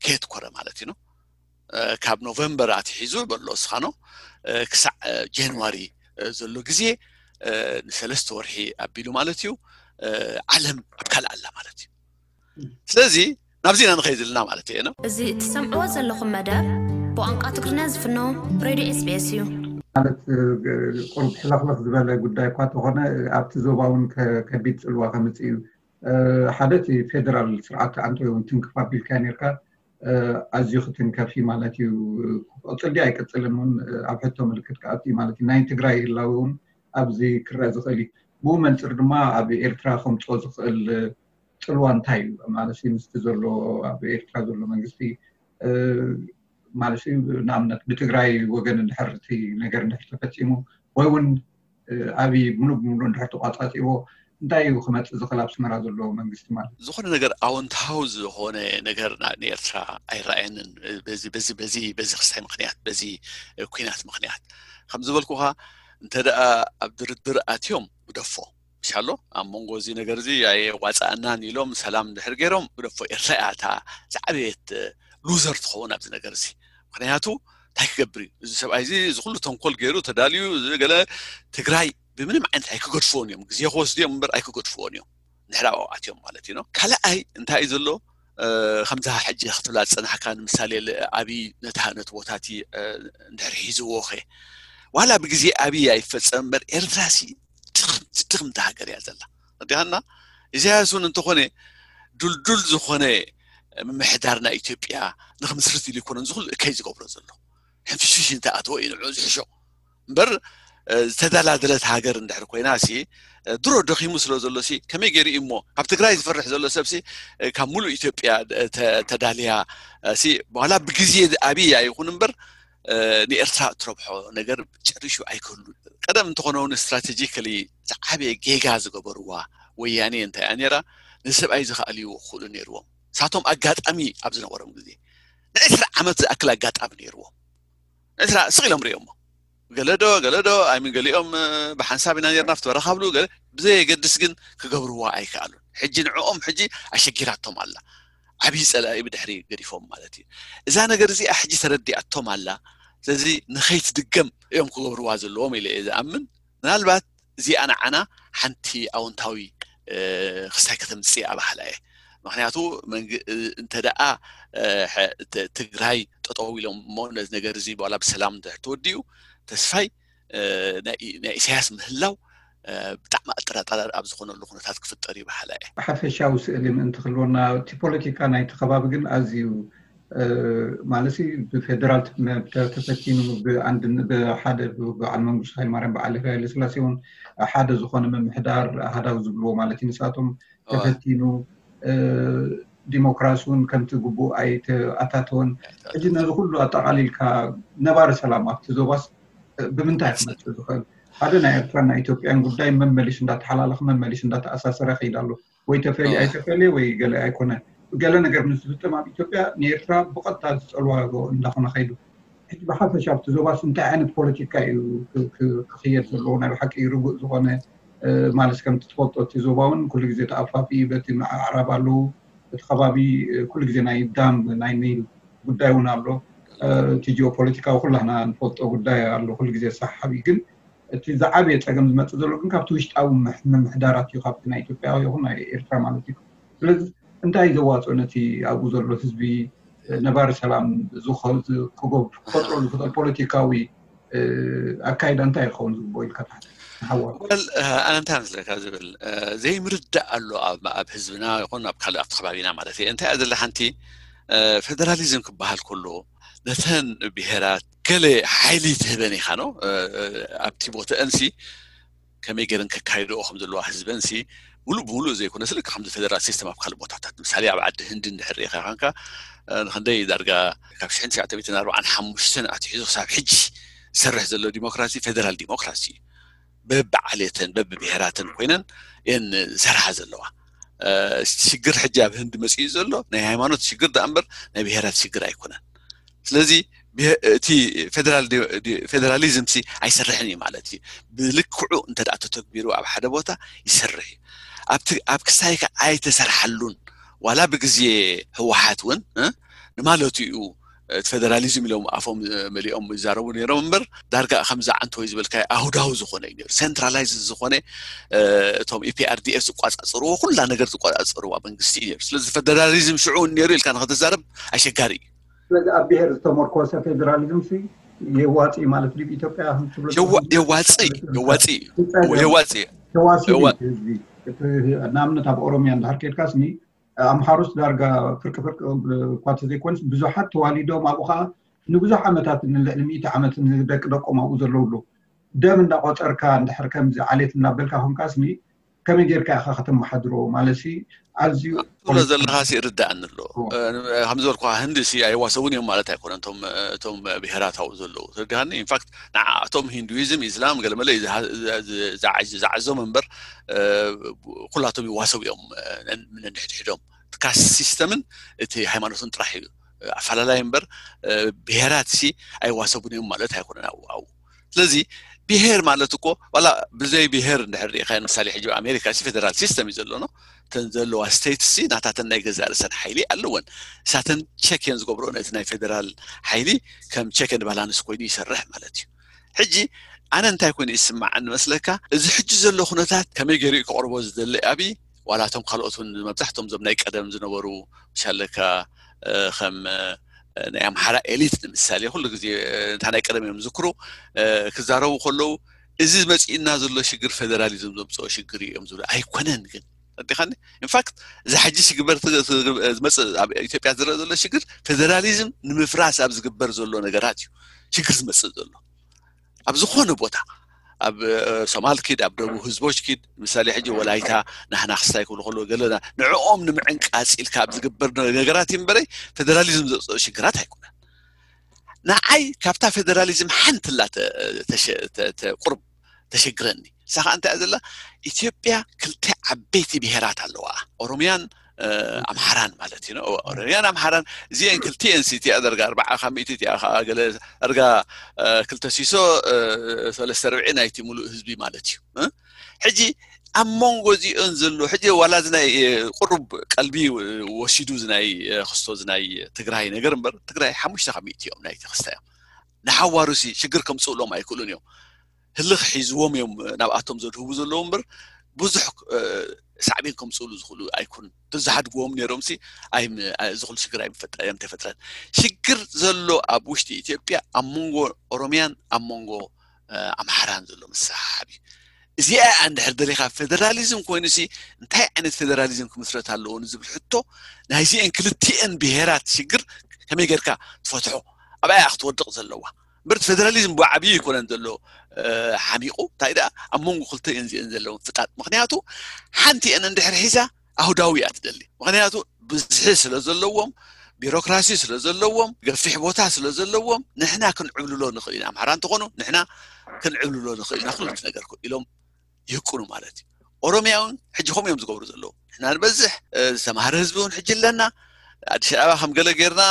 ከየትኮረ ማለት እዩ ነው። ካብ ኖቨምበር ኣትሒዙ በሎ እስኻኖ ክሳዕ ጃንዋሪ ዘሎ ግዜ ንሰለስተ ወርሒ ኣቢሉ ማለት እዩ። ዓለም ኣብ ካልእ ኣላ ማለት እዩ። ስለዚ ናብዚ ኢና ንኸይድ ዘለና ማለት እዩ ነው። እዚ ትሰምዕዎ ዘለኹም መደብ ብቋንቋ ትግርኛ ዝፍኖ ሬድዮ ኤስቢኤስ እዩ። ማለት ቁሩብ ሕልኽልኽ ዝበለ ጉዳይ እኳ ተኾነ ኣብቲ ዞባ እውን ከቢድ ፅልዋ ከምፅእ እዩ። ሓደ እቲ ፌደራል ስርዓት ኣንተ እውን ትንክፍ ኣቢልካ ነርካ። ኣዝዩ ክትንከፍ እዩ ማለት እዩ። ክቕፅል ድዩ ኣይቅፅልን እውን ኣብ ሕቶ ምልክት ክኣቱ እዩ ማለት እዩ። ናይ ትግራይ ህላዊ እውን ኣብዚ ክረአ ዝኽእል እዩ። ብኡ መንፅር ድማ ኣብ ኤርትራ ከምፅኦ ዝኽእል ፅልዋ እንታይ እዩ ማለት ምስቲ ዘሎ ኣብ ኤርትራ ዘሎ መንግስቲ ማለት ንኣብነት ብትግራይ ወገን እንድሕር እቲ ነገር እንድሕር ተፈፂሙ ወይ እውን ኣብይ ሙሉ ብሙሉ እንድሕር ተቋፃፂዎ እንታይ እዩ ክመፅእ ዝኽእል ኣብ ኣስመራ ዘሎ መንግስቲ ማለት? ዝኾነ ነገር ኣወንታዊ ዝኾነ ነገር ንኤርትራ ኣይረኣየንን። በዚ በዚ በዚ በዚ ክስታይ ምክንያት፣ በዚ ኩናት ምክንያት ከም ዝበልኩኻ እንተ ደኣ ኣብ ድርድር ኣትዮም ግደፎ ምሻሎ ኣብ መንጎ እዚ ነገር እዚ ኣየዋፃእናን ኢሎም ሰላም ድሕር ገይሮም ግደፎ። ኤርትራ እያ እታ ዝዓበየት ሉዘር ትኸውን ኣብዚ ነገር እዚ። ምክንያቱ እንታይ ክገብር እዩ እዚ ሰብኣይ እዚ? እዚ ኩሉ ተንኮል ገይሩ ተዳልዩ ገለ ትግራይ ብምንም ዓይነት ኣይክገድፍዎን እዮም። ግዜ ክወስዱ እዮም እምበር ኣይክገድፍዎን እዮም። ንሕራባው ኣትዮም ማለት እዩ። ካልኣይ እንታይ እዩ ዘሎ? ከምዛ ሕጂ ክትብላ ዝፀናሕካ ንምሳሌ ኣብይ ነቲ ቦታቲ እንድሕር ሒዝዎ ኸ ዋላ ብግዜ ኣብይ ኣይፈፀም እምበር ኤርትራ ሲ ድኽምቲ ሃገር እያ ዘላ። ዲሃና ኢሳያስ እውን እንተኾነ ዱልዱል ዝኾነ ምምሕዳር ናይ ኢትዮጵያ ንክምስርት ኢሉ ይኮነን ዝኩሉ እከይ ዝገብሮ ዘሎ ሕንፍሽፍሽ እንተኣተወ እዩ ንዑ ዝሕሾ እምበር ዝተደላደለት ሃገር እንድሕር ኮይና ሲ ድሮ ደኺሙ ስለ ዘሎ ሲ ከመይ ገይሩ እዩ እሞ ካብ ትግራይ ዝፈርሕ ዘሎ ሰብ ሲ ካብ ሙሉእ ኢትዮጵያ ተዳልያ ሲ በኋላ ብግዜ ኣብያ ይኹን እምበር ንኤርትራ እትረብሖ ነገር ጨሪሹ ኣይክህሉ። ቀደም እንተኾነ እውን ስትራቴጂካሊ ዝዓበየ ጌጋ ዝገበርዋ ወያኔ እንታይ እያ ነይራ? ንሰብኣይ ዝኸኣልዎ ክኽእሉ ነይርዎም። ሳቶም ኣጋጣሚ ኣብ ዝነበሮም ግዜ ንዕስራ ዓመት ዝኣክል ኣጋጣሚ ነይርዎም። ንዕስራ ስቕ ኢሎም ርእዮሞ ገለዶ ገለዶ ኣይምን ገሊኦም ብሓንሳብ ኢና ነርና ፍትበረኻብሉ ብዘየገድስ ግን ክገብርዋ ኣይከኣሉን። ሕጂ ንዕኦም ሕጂ ኣሸጊራቶም ኣላ። ዓብዪ ፀላኢ ብድሕሪ ገዲፎም ማለት እዩ። እዛ ነገር እዚኣ ሕጂ ተረዲኣቶም ኣላ። ስለዚ ንኸይትድገም እዮም ክገብርዋ ዘለዎም ኢለ እየ ዝኣምን። ምናልባት እዚኣ ንዓና ሓንቲ ኣውንታዊ ክስታይ ከተምፅእ እያ ባሃላ እየ። ምክንያቱ እንተ ደኣ ትግራይ ጠጠው ኢሎም እሞ ነዚ ነገር እዚ በላ ብሰላም እንድሕር ተወዲኡ ተስፋይ ናይ ኢሳያስ ምህላው ብጣዕሚ ኣጠራጣሪ ኣብ ዝኾነሉ ኩነታት ክፍጠር እዩ ባሃላ እየ። ሓፈሻዊ ስእሊ ምእንቲ ክልወና እቲ ፖለቲካ ናይቲ ከባቢ ግን ኣዝዩ ማለት ብፌደራል ተፈቲኑ ብሓደ በዓል መንግስቱ ሃይለማርያም በዓል ሃይለስላሴ እውን ሓደ ዝኾነ ምምሕዳር ኣሃዳዊ ዝብልዎ ማለት እዩ ንሳቶም ተፈቲኑ ዲሞክራሲ እውን ከምቲ ግቡእ ኣይተኣታተወን። ሕጂ ነዚ ኩሉ ኣጠቓሊልካ ነባሪ ሰላም ኣብቲ ዞባስ ብምንታይ ክመፅእ ዝኽእል? ሓደ ናይ ኤርትራን ናይ ኢትዮጵያን ጉዳይ መመሊሽ እንዳተሓላለኸ መመሊሽ እንዳተኣሳሰረ ይኸይድ ኣሎ። ወይ ተፈልዩ ኣይተፈልየ ወይ ገለ ኣይኮነን። ገለ ነገር ምስ ዝፍፀም ኣብ ኢትዮጵያ ንኤርትራ ብቐጥታ ዝፀልዋ እንዳኾነ ከይዱ። ሕጂ ብሓፈሻ ኣብቲ ዞባስ እንታይ ዓይነት ፖለቲካ እዩ ክኽየድ ዘለዎ? ናይ ብሓቂ ርጉእ ዝኾነ ማለት ከምቲ ትፈልጦ እቲ ዞባ እውን ኩሉ ግዜ ተኣፋፊ በቲ ኣዕራብ ኣለዉ። እቲ ከባቢ ኩሉ ግዜ ናይ ዳም ናይ ኒል ጉዳይ እውን ኣሎ። እቲ ጂኦፖለቲካዊ ኩላህና ንፈልጦ ጉዳይ ኣሎ ኩሉ ግዜ ሰሓቢ ግን እቲ ዝዓበየ ፀገም ዝመፅእ ዘሎ ግን ካብቲ ውሽጣዊ ምምሕዳራት እዩ ካብቲ ናይ ኢትዮጵያ ይኹን ናይ ኤርትራ ማለት እዩ። ስለዚ እንታይ ዘዋፅኦ ነቲ ኣብኡ ዘሎ ህዝቢ ነባሪ ሰላም ክፈጥረሉ ዝኽእል ፖለቲካዊ ኣካይዳ እንታይ ይኸውን ዝግብኦ ኢልካ ትሓስብ? ንሓዋሩ ወል ኣነ እንታይ መስለካ ዝብል ዘይምርዳእ ኣሎ ኣብ ህዝብና ይኹን ኣብ ካልእ ኣብቲ ከባቢና ማለት እየ። እንታይ እያ ዘላ ሓንቲ ፌደራሊዝም ክበሃል ከሎ ነተን ብሄራት ገለ ሓይሊ ትህበን ኢኻ ነው ኣብቲ ቦተአንሲ ከመይ ገይረን ከካይድኦ ከም ዘለዋ ህዝበንሲ ሙሉእ ብሙሉእ ዘይኮነስ ልክዕ ከምዚ ፌደራል ሲስተም ኣብ ካልእ ቦታታት ምሳሌ ኣብ ዓዲ ህንዲ እንድሕር ሪኢኻ ኮንካ ንክንደይ ዳርጋ ካብ ሽሕን ትሽዓተ ሚእትን ኣርባዓን ሓሙሽተን ኣትሒዙ ክሳብ ሕጂ ዝሰርሕ ዘሎ ዲሞክራሲ ፌደራል ዲሞክራሲ እዩ። በብዓሌተን በብብሄራትን ኮይነን እየን ዝሰርሓ ዘለዋ። ሽግር ሕጂ ኣብ ህንዲ መፂኡ ዘሎ ናይ ሃይማኖት ሽግር ደኣ እምበር ናይ ብሄራት ሽግር ኣይኮነን። ስለዚ እቲ ፌደራሊዝም ሲ ኣይሰርሕን እዩ ማለት እዩ። ብልክዑ እንተ ተተግቢሩ ኣብ ሓደ ቦታ ይሰርሕ እዩ። ኣብ ክስታይ ከ ኣይተሰርሓሉን ዋላ ብግዜ ህወሓት እውን ንማለቱ እዩ እቲ ፌደራሊዝም ኢሎም ኣፎም መሊኦም ይዛረቡ ነይሮም እምበር ዳርጋ ከምዚ ዓንተወይ ዝበልካ ኣሁዳዊ ዝኾነ እዩ ነሩ። ሴንትራላይዝ ዝኾነ እቶም ኢፒኣርዲኤፍ ዝቋፃፀርዎ ኩላ ነገር ዝቋፃፀርዋ መንግስቲ እዩ ነሩ። ስለዚ ፌደራሊዝም ሽዑ እውን ነሩ ኢልካ ንክትዛረብ ኣሸጋሪ እዩ። ስለዚ ኣብ ብሄር ዝተመርኮሰ ፌደራሊዝም ሲ የዋፂ ማለት ድዩ ኢትዮጵያ ትብሎ የዋፂ የዋፂ የዋፂ ተዋሲቡ ህዝቢ ንኣብነት ኣብ ኦሮሚያ እንድሕር ኬድካስኒ ኣምሓሩስ ዳርጋ ፍርቂ ፍርቂ እኳ ተዘይኮነስ ብዙሓት ተዋሊዶም ኣብኡ ከዓ ንብዙሕ ዓመታት ንልዕሊ ሚእቲ ዓመት ንደቂ ደቆም ኣብኡ ዘለውሉ ደም እንዳቆፀርካ እንድሕር ከምዚ ዓሌት እናበልካ ኮንካስኒ ከመይ ጌርካ ኢኻ ከተመሓድሮ ማለት ኣዝዩ ትብሎ ዘለኻ ሲ ይርዳእኒ ኣሎ። ከም ዝበልኩ ህንዲ ሲ ኣይዋሰቡን እዮም ማለት ኣይኮነን። እቶም ብሄራት ኣብኡ ዘለዉ ተረዲኻኒ። ኢንፋክት ንዓኣቶም ሂንዱይዝም፣ ኢስላም ገለመለ እዩ ዝዓዞም እምበር ኩላቶም ይዋሰቡ እዮም ነንሕድሕዶም። ካስት ሲስተምን እቲ ሃይማኖትን ጥራሕ እዩ ኣፈላላይ እምበር ብሄራት ሲ ኣይዋሰቡን እዮም ማለት ኣይኮነን ኣብኡ ኣብኡ ስለዚ ብሄር ማለት እኮ ዋላ ብዘይ ብሄር እንድሕር ርኢኻዮ ምሳሌ ሕጂ ኣሜሪካ ሲ ፌደራል ሲስተም እዩ ዘሎ ነው እተን ዘለዋ ስቴትስ ሲ ናታተን ናይ ገዛእ ርእሰን ሓይሊ ኣለወን እሳተን ቸክ እየን ዝገብሮ ነቲ ናይ ፌደራል ሓይሊ ከም ቸክ ኤንድ ባላንስ ኮይኑ ይሰርሕ ማለት እዩ ሕጂ ኣነ እንታይ ኮይኑ ይስማዓኒ መስለካ እዚ ሕጂ ዘሎ ኩነታት ከመይ ገይሩ እዩ ክቕርቦ ዝደሊ ኣብይ ዋላ እቶም ካልኦት እውን መብዛሕቶም ዞም ናይ ቀደም ዝነበሩ ምሻለካ ከም ናይ ኣምሓራ ኤሊት ንምሳሌ ኩሉ ግዜ እንታ ናይ ቀደም እዮም ዝክሩ ክዛረቡ ከለዉ እዚ መፂእና ዘሎ ሽግር ፌደራሊዝም ዘምፅኦ ሽግር እዮም ዝብሉ ኣይኮነን ግን ኣዲኻኒ ኢንፋክት እዚ ሕጂ ሽግበር ዝመፅእ ኣብ ኢትዮጵያ ዝረአ ዘሎ ሽግር ፌደራሊዝም ንምፍራስ ኣብ ዝግበር ዘሎ ነገራት እዩ ሽግር ዝመፅእ ዘሎ ኣብ ዝኾነ ቦታ ኣብ ሶማል ኪድ ኣብ ደቡብ ህዝቦች ኪድ ምሳሌ ሕጂ ወላይታ ናህና ክስታይ ክብሉ ከለዉ ገለና ንዕኦም ንምዕንቃፅ ኢልካ ኣብ ዝግበር ነገራት እዩ እምበረይ ፌደራሊዝም ዘፅኦ ሽግራት ኣይኮነን ንዓይ ካብታ ፌደራሊዝም ሓንቲ ላ ቁርብ ተሸግረኒ ንሳ ከዓ እንታይ እያ ዘላ ኢትዮጵያ ክልተ ዓበይቲ ብሄራት ኣለዋ ኦሮሚያን ኣምሓራን ማለት እዩ ኦሮሚያን ኣምሓራን እዚአን ክልቲአን ሲ እቲኣ ደርጋ ኣርባዓ ካብ ሚእቲ እቲኣ ከዓ ገለ ደርጋ ክልተ ሲሶ ሰለስተ ርብዒ ናይቲ ሙሉእ ህዝቢ ማለት እዩ ሕጂ ኣብ መንጎ እዚኦን ዘሎ ሕጂ ዋላ እዚ ናይ ቁሩብ ቀልቢ ወሲዱ እዚ ናይ ክስቶ እዚ ናይ ትግራይ ነገር እምበር ትግራይ ሓሙሽተ ካብ ሚእቲ እዮም ናይቲ ክስታ እዮም ንሓዋሩ ሲ ሽግር ከምፅእሎም ኣይክእሉን እዮም ህልኽ ሒዝዎም እዮም ናብኣቶም ዘድህቡ ዘለዉ እምበር ብዙሕ ሳዕቤን ከምፅእሉ ዝኽእሉ ኣይኮኑን። ዝሓድግዎም ነይሮም ሲ እዚ ኩሉ ሽግር ኣይምፈጠ- ኣይምተፈጥረን። ሽግር ዘሎ ኣብ ውሽጢ ኢትዮጵያ ኣብ መንጎ ኦሮሚያን ኣብ መንጎ ኣምሓራን ዘሎ መሰሓሓብ እዩ። እዚኣ እንድሕር ደሊኻ ፌደራሊዝም ኮይኑ ሲ እንታይ ዓይነት ፌደራሊዝም ክምስረት ኣለዎ ንዝብል ሕቶ ናይዚአን ክልቲአን ብሄራት ሽግር ከመይ ጌርካ ትፈትሖ? ኣብኣ ክትወድቕ ዘለዋ። እምበር ፌደራሊዝም ብዓብዩ ኣይኮነን ዘሎ ሓሚቑ፣ እንታይ ደኣ ኣብ መንጎ ክልተ እዚአን ዘለውን ፍጣጥ። ምክንያቱ ሓንቲ እን እንድሕር ሒዛ ኣህዳዊ እያ ትደሊ። ምክንያቱ ብዝሒ ስለ ዘለዎም፣ ቢሮክራሲ ስለ ዘለዎም፣ ገፊሕ ቦታ ስለ ዘለዎም ንሕና ክንዕብልሎ ንኽእል ኢና። ኣምሓራ እንተኾኑ ንሕና ክንዕብልሎ ንኽእል ኢና ኩሉ ነገር ኢሎም ይህቁኑ ማለት እዩ። ኦሮሚያ እውን ሕጂ ከምኡ እዮም ዝገብሩ ዘለዉ። ንሕና ንበዝሕ ዝተማህረ ህዝቢ እውን ሕጂ ኣለና። ኣዲስ ኣበባ ከም ገለ ጌርና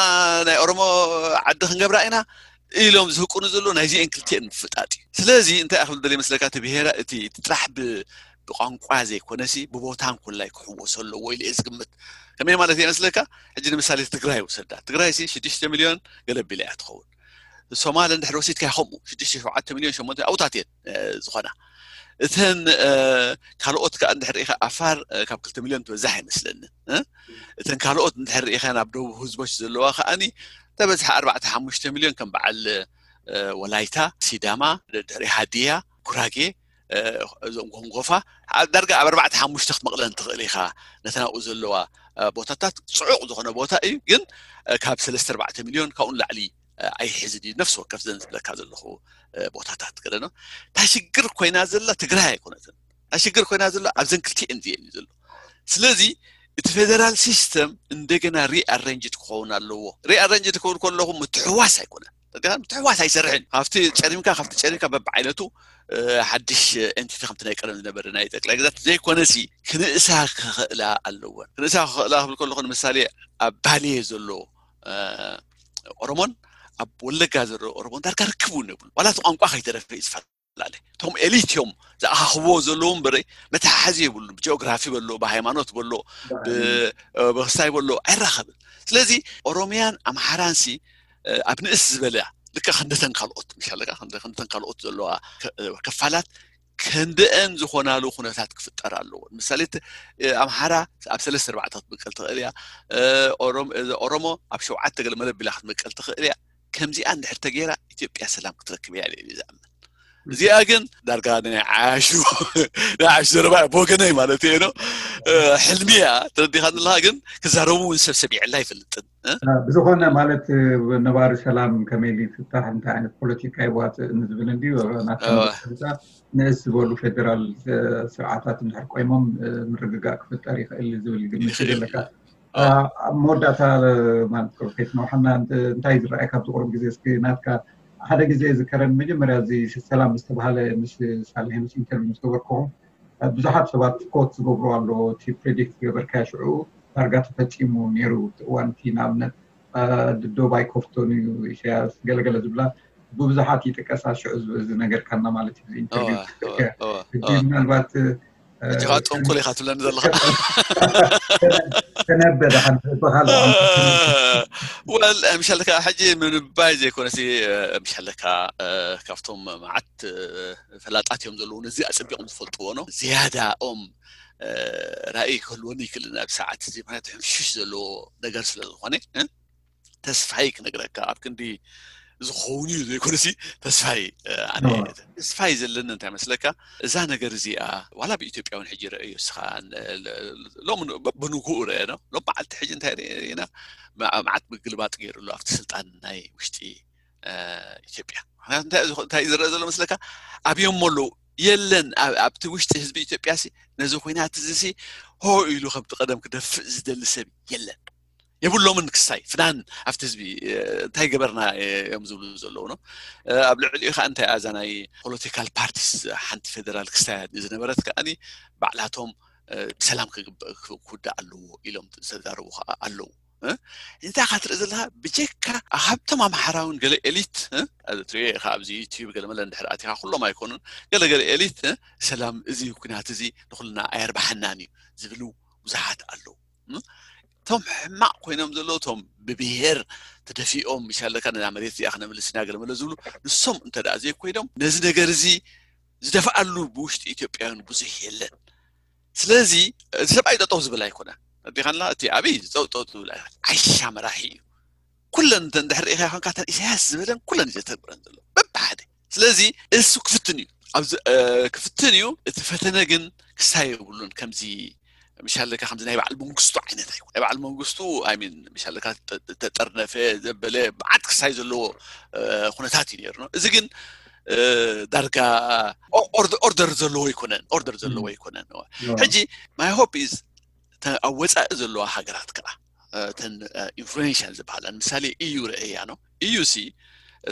ናይ ኦሮሞ ዓዲ ክንገብራ ኢና ኢሎም ዝህቁኑ ዘለዉ ናይዚአን ክልቲአን ምፍጣጥ እዩ። ስለዚ እንታይ ክብል ደልየ መስለካ፣ እቲ ብሄራ እቲ ጥራሕ ብቋንቋ ዘይኮነሲ ብቦታን ኩላይ ክሕወሶ ኣለዎ ኢለ እየ ዝግምት። ከመይ ማለት እየ መስለካ? ሕጂ ንምሳሌ ትግራይ ውሰዳ። ትግራይ ሲ ሽዱሽተ ሚልዮን ገለ ቢላ እያ ትኸውን። ሶማል እንድሕር ወሲድካ ከምኡ ሽዱሽተ ሸውዓተ ሚልዮን ሸሞንተ ኣብታት እየን ዝኾና። እተን ካልኦት ከዓ እንድሕር ኢኻ ኣፋር ካብ ክልተ ሚልዮን ትበዛሕ ኣይመስለንን። እተን ካልኦት እንድሕር ኢኻ ናብ ደቡብ ህዝቦች ዘለዋ ከዓኒ ተበዝሐ ኣርባዕተ ሓሙሽተ ሚልዮን ከም በዓል ወላይታ፣ ሲዳማ፣ ድሕሪ ሃዲያ፣ ጉራጌ፣ እዞም ጎንጎፋ ዳርጋ ኣብ ኣርባዕተ ሓሙሽተ ክትመቕለን ትኽእል ኢኻ። ነተን ኣብኡ ዘለዋ ቦታታት ፅዑቕ ዝኾነ ቦታ እዩ፣ ግን ካብ ሰለስተ ኣርባዕተ ሚልዮን ካብኡ ንላዕሊ ኣይሕዝን እዩ። ነፍሲ ወከፍ ዘን ዝብለካ ዘለኹ ቦታታት ገለ ነው። እታ ሽግር ኮይና ዘላ ትግራይ ኣይኮነትን። እታ ሽግር ኮይና ዘላ ኣብዘን ክልቲኤን እዚአን እዩ ዘሎ። ስለዚ እቲ ፌደራል ሲስተም እንደገና ሪኣረንጅድ ክኸውን ኣለዎ። ሪኣረንጅድ ክኸውን ከለኹ ምትሕዋስ ኣይኮነን። ምትሕዋስ ኣይሰርሕን። ካብቲ ጨሪምካ ካብቲ ጨሪምካ በብዓይነቱ ሓድሽ ኤንቲቲ ከምቲ ናይ ቀደም ዝነበረ ናይ ጠቅላይ ግዛት ዘይኮነሲ ክንእሳ ክኽእላ ኣለወን። ክንእሳ ክኽእላ ክብል ከለኹ ንምሳሌ ኣብ ባሌ ዘሎ ኦሮሞን ኣብ ወለጋ ዘሎ ኦሮሞን ዳርጋ ርክብ እውን የብሉ። ዋላ እቲ ቋንቋ ከይተረፈ እዩ ዝፈላለ። እቶም ኤሊት እዮም ዝኣኻኽብዎ ዘለዉ እምበር መተሓሓዚ የብሉ። ብጂኦግራፊ በሎ፣ ብሃይማኖት በሎ፣ ብክስታይ በሎ ኣይራኸብን። ስለዚ ኦሮሚያን ኣምሓራንሲ ኣብ ንእስ ዝበለ ልካ ክንደተን ካልኦት ምሻለካ ክንደተን ካልኦት ዘለዋ ክፋላት ከንደአን ዝኾናሉ ኩነታት ክፍጠር ኣለዎ። ምሳሌ ኣምሓራ ኣብ ሰለስተ ኣርባዕተ ክትመቀል ትኽእል እያ። ኦሮሞ ኣብ ሸውዓተ ገለ መለቢላ ክትመቀል ትኽእል እያ። ከምዚኣ እንድሕር ተገይራ ኢትዮጵያ ሰላም ክትረክብ እያ ኢለ ዝኣምን። እዚኣ ግን ዳርጋ ናይ ዓያሹ ናይ ዓያሹ ዘረባ ብወገነይ ማለት እየ ነው። ሕልሚ እያ ተረዲኻ ዘለካ፣ ግን ክዛረቡ እውን ሰብ ሰሚዐላ ኣይፈልጥን። ብዝኾነ ማለት ነባሪ ሰላም ከመይ ኢሉ ይፍታሕ፣ እንታይ ዓይነት ፖለቲካ ይዋፅእ ንዝብል እንዲ ናታ ንእስ ዝበሉ ፌደራል ስርዓታት እንድሕር ቆይሞም ምርግጋእ ክፍጠር ይኽእል ዝብል ግምት ዘለካ። ኣብ መወዳእታ ማለት ፕሮፌት ነውሓና እንታይ ዝረኣየ ካብዚ ቁሩብ ግዜ እስኪ ናትካ ሓደ ግዜ ዝከረን መጀመርያ እዚ ሰላም ዝተባሃለ ምስ ሳልሒ ምስ ኢንተርቪው ምስ ገበርኩኹም ብዙሓት ሰባት ኮት ዝገብሩ ኣሎ። እቲ ፕሬዲክት ዝገበርካዮ ሽዑ ዳርጋ ተፈፂሙ ነይሩ። እቲ እዋን እቲ ንኣብነት ድዶ ባይኮፍቶን እዩ ኢሳያስ ገለገለ ዝብላ ብብዙሓት ይጥቀሳ። ሽዑ ዝነገርካና ማለት እዩ ኢንተርቪው። ምናልባት ሕጂ ከዓ ጥንቁል ኢኻ ትብለኒ ዘለኻ። ተነበ ደሓን በኻል ወል ምሻለካ ሕጂ ምንባይ ዘይኮነሲ ምሻለካ ካብቶም መዓት ፈላጣት እዮም ዘለዉ ነዚ ኣፀቢቖም ዝፈልጥዎ ነው። ዝያዳኦም ራእይ ክህልወኒ ይክእል ናብ ሰዓት እዚ ምክንያቱ ሕምሽሽ ዘለዎ ነገር ስለ ዝኾነ ተስፋይ ክነግረካ ኣብ ክንዲ ዝኸውን እዩ ዘይኮነሲ ተስፋይ ኣነ ተስፋይ ዘለኒ እንታይ መስለካ እዛ ነገር እዚኣ ዋላ ብኢትዮጵያ እውን ሕጂ ረእዮ እስኻ ሎም ብንጉኡ ረአ ነው ሎም መዓልቲ ሕጂ እንታይ ርኢና መዓት ምግልባጥ ገይሩ ኣሎ ኣብቲ ስልጣን ናይ ውሽጢ ኢትዮጵያ ምክንያቱ እንታይ ዝረአ ዘሎ መስለካ ኣብዮም ኣለዉ የለን ኣብቲ ውሽጢ ህዝቢ ኢትዮጵያ ሲ ነዚ ኩናት እዚ ሲ ሆ ኢሉ ከምቲ ቀደም ክደፍእ ዝደሊ ሰብ የለን የብሎምን ክስታይ ፍናን ኣብቲ ህዝቢ እንታይ ገበርና እዮም ዝብሉ ዘለዉ ነው ኣብ ልዕሊኡ ከዓ እንታይ ኣዛ ናይ ፖለቲካል ፓርቲስ ሓንቲ ፌደራል ክስታይ ዝነበረት ከዓኒ ባዕላቶም ብሰላም ክውዳእ ኣለዎ ኢሎም ዝተዛረቡ ከዓ ኣለዉ እንታይ ካትርኢ ዘለካ ብጀካ ካብቶም ኣምሓራውን ገለ ኤሊት ትሪኦ ኢኻ ኣብዚ ዩቲዩብ ገለ መለ እንድሕር ኣቲኻ ኩሎም ኣይኮኑን ገለ ገለ ኤሊት ሰላም እዚ ኩናት እዚ ንኩልና ኣየርባሓናን እዩ ዝብሉ ብዙሓት ኣለዉ እቶም ሕማቕ ኮይኖም ዘለዉ እቶም ብብሄር ተደፊኦም ይሻለካ ነዛ መሬት እዚኣ ክነምልስ ኢና ገለ መለ ዝብሉ ንሶም እንተ ደኣ ዘይኮይኖም ነዚ ነገር እዚ ዝደፍኣሉ ብውሽጢ ኢትዮጵያውያን ብዙሕ የለን ስለዚ እቲ ሰብኣይ ጠጠው ዝብል ኣይኮነ። ኣዲኻንላ እቲ ኣብይ ጠጠው ዝብል ኣይኮነ። ዓይሻ መራሒ እዩ። ኩለን እንድሕር ርኢኻ ይኮንካ ተን ኢሳያስ ዝበለን ኩለን እዩ ዘተግብረን ዘሎ በብሓደ። ስለዚ እሱ ክፍትን እዩ። ክፍትን እዩ። እቲ ፈተነ ግን ክሳይ የብሉን። ከምዚ ምሻለካ ከምዚ ናይ በዓል መንግስቱ ዓይነት ኣይኮነ። ናይ በዓል መንግስቱ ኣይሚን ምሻለካ ተጠርነፈ ዘበለ መዓት ክሳይ ዘለዎ ኩነታት እዩ ነይሩ። እዚ ግን ዳርጋ ኦርደር ዘለዎ ኣይኮነን። ኦርደር ዘለዎ ኣይኮነን። ሕጂ my hope is ኣብ ወፃኢ ዘለዋ ሃገራት ከዓ ተን ኢንፍሉዌንሻል ዝበሃላ ምሳሌ ኢዩ ረእያ ነው። ኢዩ ሲ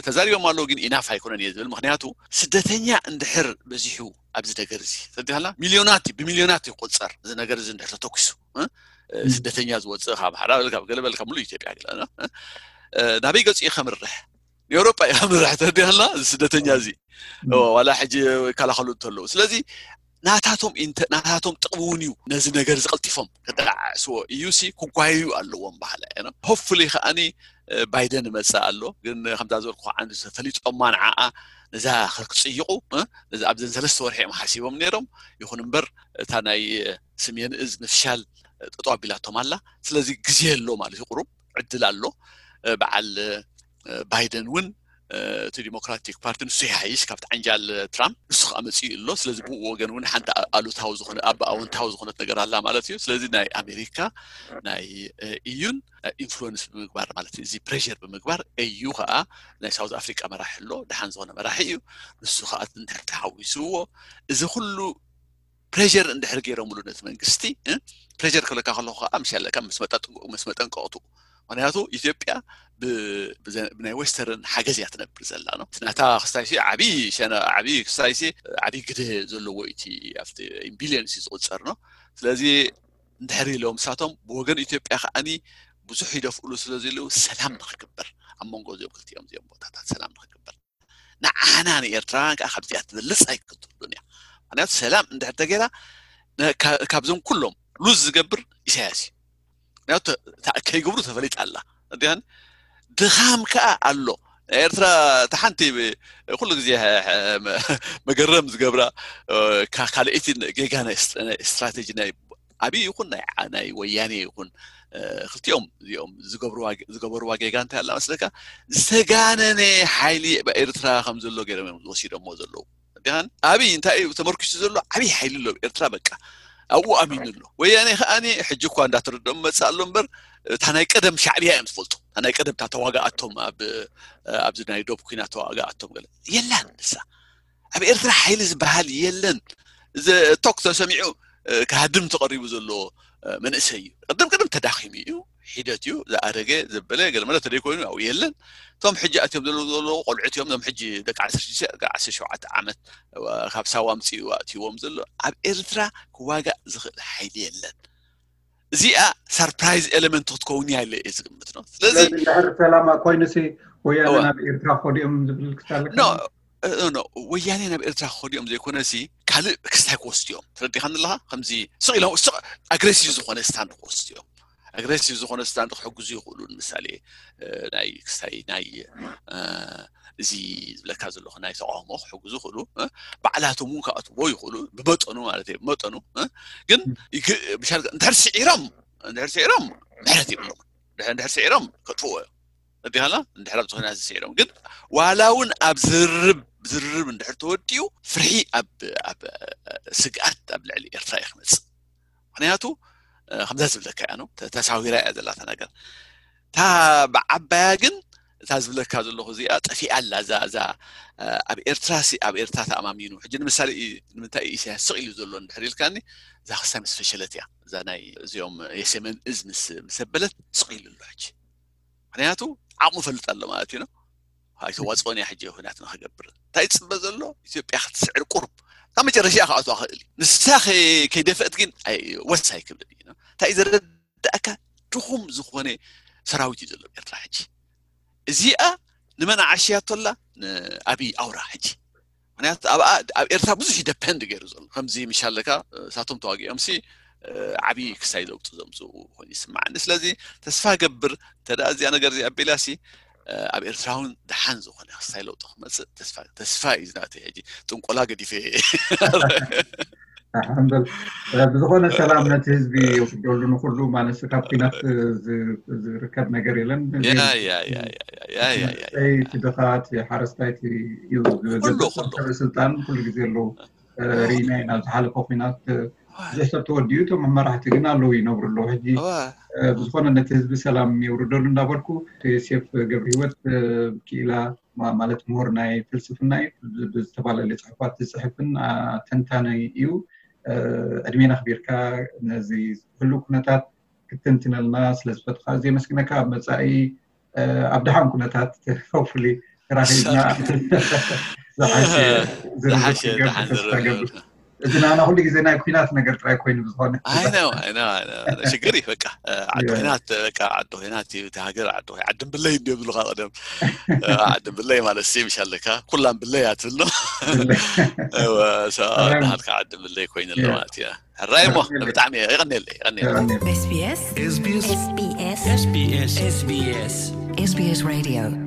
ተዛሪቦም ኣለዉ ግን ኢናፍ ኣይኮነን እየ ዝብል። ምክንያቱ ስደተኛ እንድሕር በዚሑ ኣብዚ ነገር እዚ ተዲሃላ ሚሊዮናት ብሚሊዮናት ይቆፀር። እዚ ነገር እዚ እንድሕር ተተኩሱ ስደተኛ ዝወፅእ ካብ ሓራ በል ካብ ገለ በል ካብ ሙሉእ ኢትዮጵያ ገለ ናበይ ገፂኡ ከምርሕ ንኤውሮጳ እዩ ከምርሕ ተዲሃላ እዚ ስደተኛ እዚ ዋላ ሕጂ ይከላኸሉ እንተለዉ ስለዚ ናታቶም ናታቶም ጥቕሚ እውን እዩ ነዚ ነገር ዝቐልጢፎም ክደዓዕስዎ እዩ ሲ ክጓየዩ ኣለዎም ባህላ ሆፕፉሊ ከዓኒ ባይደን ይመፅእ ኣሎ ግን ከምዛ ዝበልኩ ዓንዲ ተፈሊጦማ ንዓኣ ነዛ ክፅይቑ ኣብዘን ሰለስተ ወርሒ እዮም ሓሲቦም ነይሮም ይኹን እምበር እታ ናይ ስሜን እዝ ምፍሻል ጠጠው ኣቢላቶም ኣላ ስለዚ ግዜ ኣሎ ማለት እዩ ቁሩብ ዕድል ኣሎ በዓል ባይደን እውን እቲ ዲሞክራቲክ ፓርቲ ንሱ ይሓይሽ ካብቲ ዓንጃል ትራምፕ ንሱ ከዓ መፅኡ ኣሎ ስለዚ ብኡ ወገን እውን ሓንቲ ኣሉታዊ ዝኾነ ኣብ ኣወንታዊ ዝኾነት ነገር ኣላ ማለት እዩ ስለዚ ናይ ኣሜሪካ ናይ ኢዩን ኢንፍሉወንስ ብምግባር ማለት እዚ ፕሬር ብምግባር እዩ ከዓ ናይ ሳውዝ ኣፍሪካ መራሒ ኣሎ ደሓን ዝኾነ መራሒ እዩ ንሱ ከዓ እንድሕር ተሓዊስዎ እዚ ኩሉ ፕሬር እንድሕር ገይሮምሉ ነቲ መንግስቲ ፕሬር ክብለካ ከለኩ ከዓ ምሽ ኣለካ ምስ መጠንቀቕቱ ምክንያቱ ኢትዮጵያ ብናይ ዌስተርን ሓገዝ እያ ትነብር ዘላ ነው ናታ ክስታይሲ ዓብይ ሸነ ዓብይ ክስታይሲ ዓብይ ግደ ዘለዎ እቲ ኣብቲ ቢሊዮንስ ዝቁፀር ነው ስለዚ እንድሕር ኢሎም ንሳቶም ብወገን ኢትዮጵያ ከዓኒ ብዙሕ ይደፍእሉ ስለ ዘለዉ ሰላም ንክግበር ኣብ መንጎ እዚኦም ክልቲኦም እዚኦም ቦታታት ሰላም ንክግበር ንዓና ንኤርትራውያን ከዓ ካብዚኣ ትበልፅ ኣይክትብሉን እያ ምክንያቱ ሰላም እንድሕር ተገይራ ካብዞም ኩሎም ሉዝ ዝገብር ኢሳያስ እዩ ምክንያቱ ከይገብሩ ተፈሊጣ ኣላ እንዲን ድኻም ከዓ ኣሎ ኤርትራ ተሓንቲ ኩሉ ግዜ መገረም ዝገብራ ካልኣይቲ ጌጋ ናይ ስትራቴጂ ናይ ኣብይ ይኹን ናይ ወያኔ ይኹን ክልቲኦም እዚኦም ዝገበርዋ ጌጋ እንታይ ኣላ መስለካ ዝተጋነነ ሓይሊ ኤርትራ ከም ዘሎ ገይሮም እዮም ዝወሲዶሞ ዘለዉ ዲን ኣብይ እንታይ እዩ ተመርኪሱ ዘሎ ዓብይ ሓይሊ ኣሎ ኤርትራ በቃ ኣብኡ ኣሚኑ ኣሎ ወያኔ ከዓኒ ሕጂ እኳ እንዳተረድኦም መፅእ ኣሎ እምበር እታ ናይ ቀደም ሻዕብያ እዮም ዝፈልጡ እታ ናይ ቀደም እታ ተዋጋኣቶም ኣብዚ ናይ ዶብ ኩናት ተዋጋኣቶም ገለ የላን ንሳ ኣብ ኤርትራ ሓይሊ ዝበሃል የለን ቶክ ተሰሚዑ ክሃድም ተቐሪቡ ዘሎ መንእሰይ እዩ ቅድም ቅድም ተዳኺሙ እዩ ሒደት እዩ ዝኣረገ ዘበለ ገለመለ ተደይኮይኑ ኣብኡ የለን እቶም ሕጂ ኣትዮም ዘለዉ ዘለዉ ቆልዑት እዮም እዞም ሕጂ ደቂ ዓሰርተ ሽዱሽተ ደቂ ዓሰርተ ሸውዓተ ዓመት ካብ ሳዋ ኣምፅኡ ኣእትይዎም ዘሎ ኣብ ኤርትራ ክዋጋእ ዝኽእል ሓይሊ የለን እዚኣ ሰርፕራይዝ ኤለመንት ክትከውን እያ ኢለ እየ ዝግምት ነው ስለዚ ስለዚ እንድሕር ሰላም ኮይኑሲ ወያነ ናብ ኤርትራ ክኸዱ እዮም ዝብል ክሳለካ ኖ ኖ ወያኔ ናብ ኤርትራ ክኸዱ እዮም ዘይኮነሲ ካልእ ክስታይ ክወስዱ እዮም ተረዲኻኒ ኣለኻ ከምዚ ስቕ ኢሎም ስቕ ኣግሬሲቭ ዝኾነ ስታንድ ክወስዱ እዮም ኣግሬሲቭ ዝኾነ ስታንድ ክሕግዙ ይኽእሉ ንምሳሌ ናይ ክስታይ ናይ እዚ ዝብለካ ዘለኹ ናይ ተቃውሞ ክሕግዙ ይኽእሉ ባዕላቶም እውን ክኣትዎ ይኽእሉ ብመጠኑ ማለት እዩ ብመጠኑ ግን እንድሕር ስዒሮም እንድሕር ስዒሮም ምሕረት ይብሎም እንድሕር ስዒሮም ከጥፍዎ እዮም እንዲሃላ እንድሕር ኣብዚ ኩናት ዝስዒሮም ግን ዋላ እውን ኣብ ዝርርብ ዝርርብ እንድሕር ተወዲኡ ፍርሒ ኣብ ኣብ ስግኣት ኣብ ልዕሊ ኤርትራ እዩ ክመፅእ ምክንያቱ ከምዛ ዝብለካ እያ ነው ተሳዊራ እያ ዘላታ ነገር እታ ብዓባያ ግን እታ ዝብለካ ዘለኹ እዚኣ ጠፊኣ ኣላ እዛ እዛ ኣብ ኤርትራ ሲ ኣብ ኤርትራ ተኣማሚኑ ሕጂ ንምሳሌ እዩ ንምንታይ እዩ ኢሳያስ ስቕ ኢሉ ዘሎ እንድሕር ኢልካኒ እዛ ክስታይ ምስ ፈሸለት እያ እዛ ናይ እዚኦም የሰሜን እዝ ምስ ምስ ኣበለት ስቕ ኢሉ ኣሎ ሕጂ ምክንያቱ ዓቕሙ ፈልጥ ኣሎ ማለት እዩ ኣይተዋፅኦን እያ ሕጂ ኩናት ንክገብር እንታይ ፅበ ዘሎ ኢትዮጵያ ክትስዕር ቁርብ ካብ መጨረሻ ክኣትዋ ክእል እዩ ንሳ ከይደፈእት ግን ወስ ኣይክብልን እዩ እንታይ ዘረዳእካ ድኹም ዝኾነ ሰራዊት እዩ ዘሎ ኤርትራ ሕጂ እዚኣ ንመን ዓሽያቶ ኣላ ንኣብይ ኣውራ ሕጂ ምክንያቱ ኣብ ኣብ ኤርትራ ብዙሕ ደፐንድ ገይሩ ዘሎ ከምዚ ምሻለካ እሳቶም ተዋጊኦም ሲ ዓብዪ ክሳይ ለውጢ ዘምፅኡ ኮይኑ ይስማዓኒ ስለዚ ተስፋ ገብር እንተደኣ እዚኣ ነገር እዚኣ ኣቢላ ሲ ኣብ ኤርትራ እውን ደሓን ዝኾነ ክስታይ ለውጢ ክመፅእ ተስፋ እዩ ዝናተይ ሕጂ ጥንቆላ ገዲፈ ሓንበል ብዝኾነ ሰላም ነቲ ህዝቢ የውርደሉ። ንኩሉ ማለት ካብ ኩናት ዝርከብ ነገር የለን። ያ ያ ያ ያ ያ ያ ያ ያ መንእሰይ፣ እቲ ድኻ፣ እቲ ሓረስታይ፣ እቲ እዩ ዝበዝሕ። ኩሉ፣ ኩሉ። ሰበ ስልጣን ኩሉ ግዜ ኣለዉ። ርኢና ኢና ኣብ ዝሓለፈ ኩናት ብዙሕ ሰብ ተወዲኡ፣ እቶም መራሕቲ ግን ኣለዉ ይነብሩ ኣለዉ። ሕጂ እዋ እ፣ ብዝኾነ ነቲ ህዝቢ ሰላም የውርደሉ እንዳበልኩ፣ ዮሴፍ ገብረ ህይወት እ፣ ክኢላ ማ- ማለት ምሁር ናይ ፍልስፍና እዩ። ብ- ብዝተፈላለየ ጽሑፋት ዝጽሕፍን ኣ፣ ተንታኒ እዩ። እ፣ ዕድሜና ኣኽቢርካ ነዚ ህሉው ኩነታት ክትትንትነልና ስለ ዝፈትኻ ኣዝየ የመስግነካ። ኣብ መጻኢ እ፣ ኣብ ደሓን ኩነታት ሆፕፉሊ ተራኺብና ዝሓሸ ዝርርብ ዝሓሸ ክንገብር ደሓን ተስፋ ዝርርብ ገብር። እዚ ናና ኩሉ ግዜ ናይ ኩናት ነገር ጥራይ ኮይኑ ብዝኾነ I know, I know, I know. ሽግር እዩ በቃ እ፣ ዓዲ ያ። ኩናት በቃ ዓዲ ኩናት እዩ፣ እቲ ሃገር ዓዲ ኩናት። ዓዲ ብለይ እንዲዮም ዝብሉካ ቀደም እ፣ ዓዲ ብለይ ማለት ሲ ምሽ ኣለካ ኩላም ብለይ ኣትብል ነው። ብለይ። እወ፣ ሶ፣ ሰላም። ናሃልካ ዓዲ ብለይ ኮይኑ ኣሎ ያ። ማለት እዩ። ሕራይ እሞ የቐንየለይ። ብጣዕሚ የቐንየለይ፣ የቐንየለይ። የቐንየለይ። SBS SBS SBS SBS SBS SBS Radio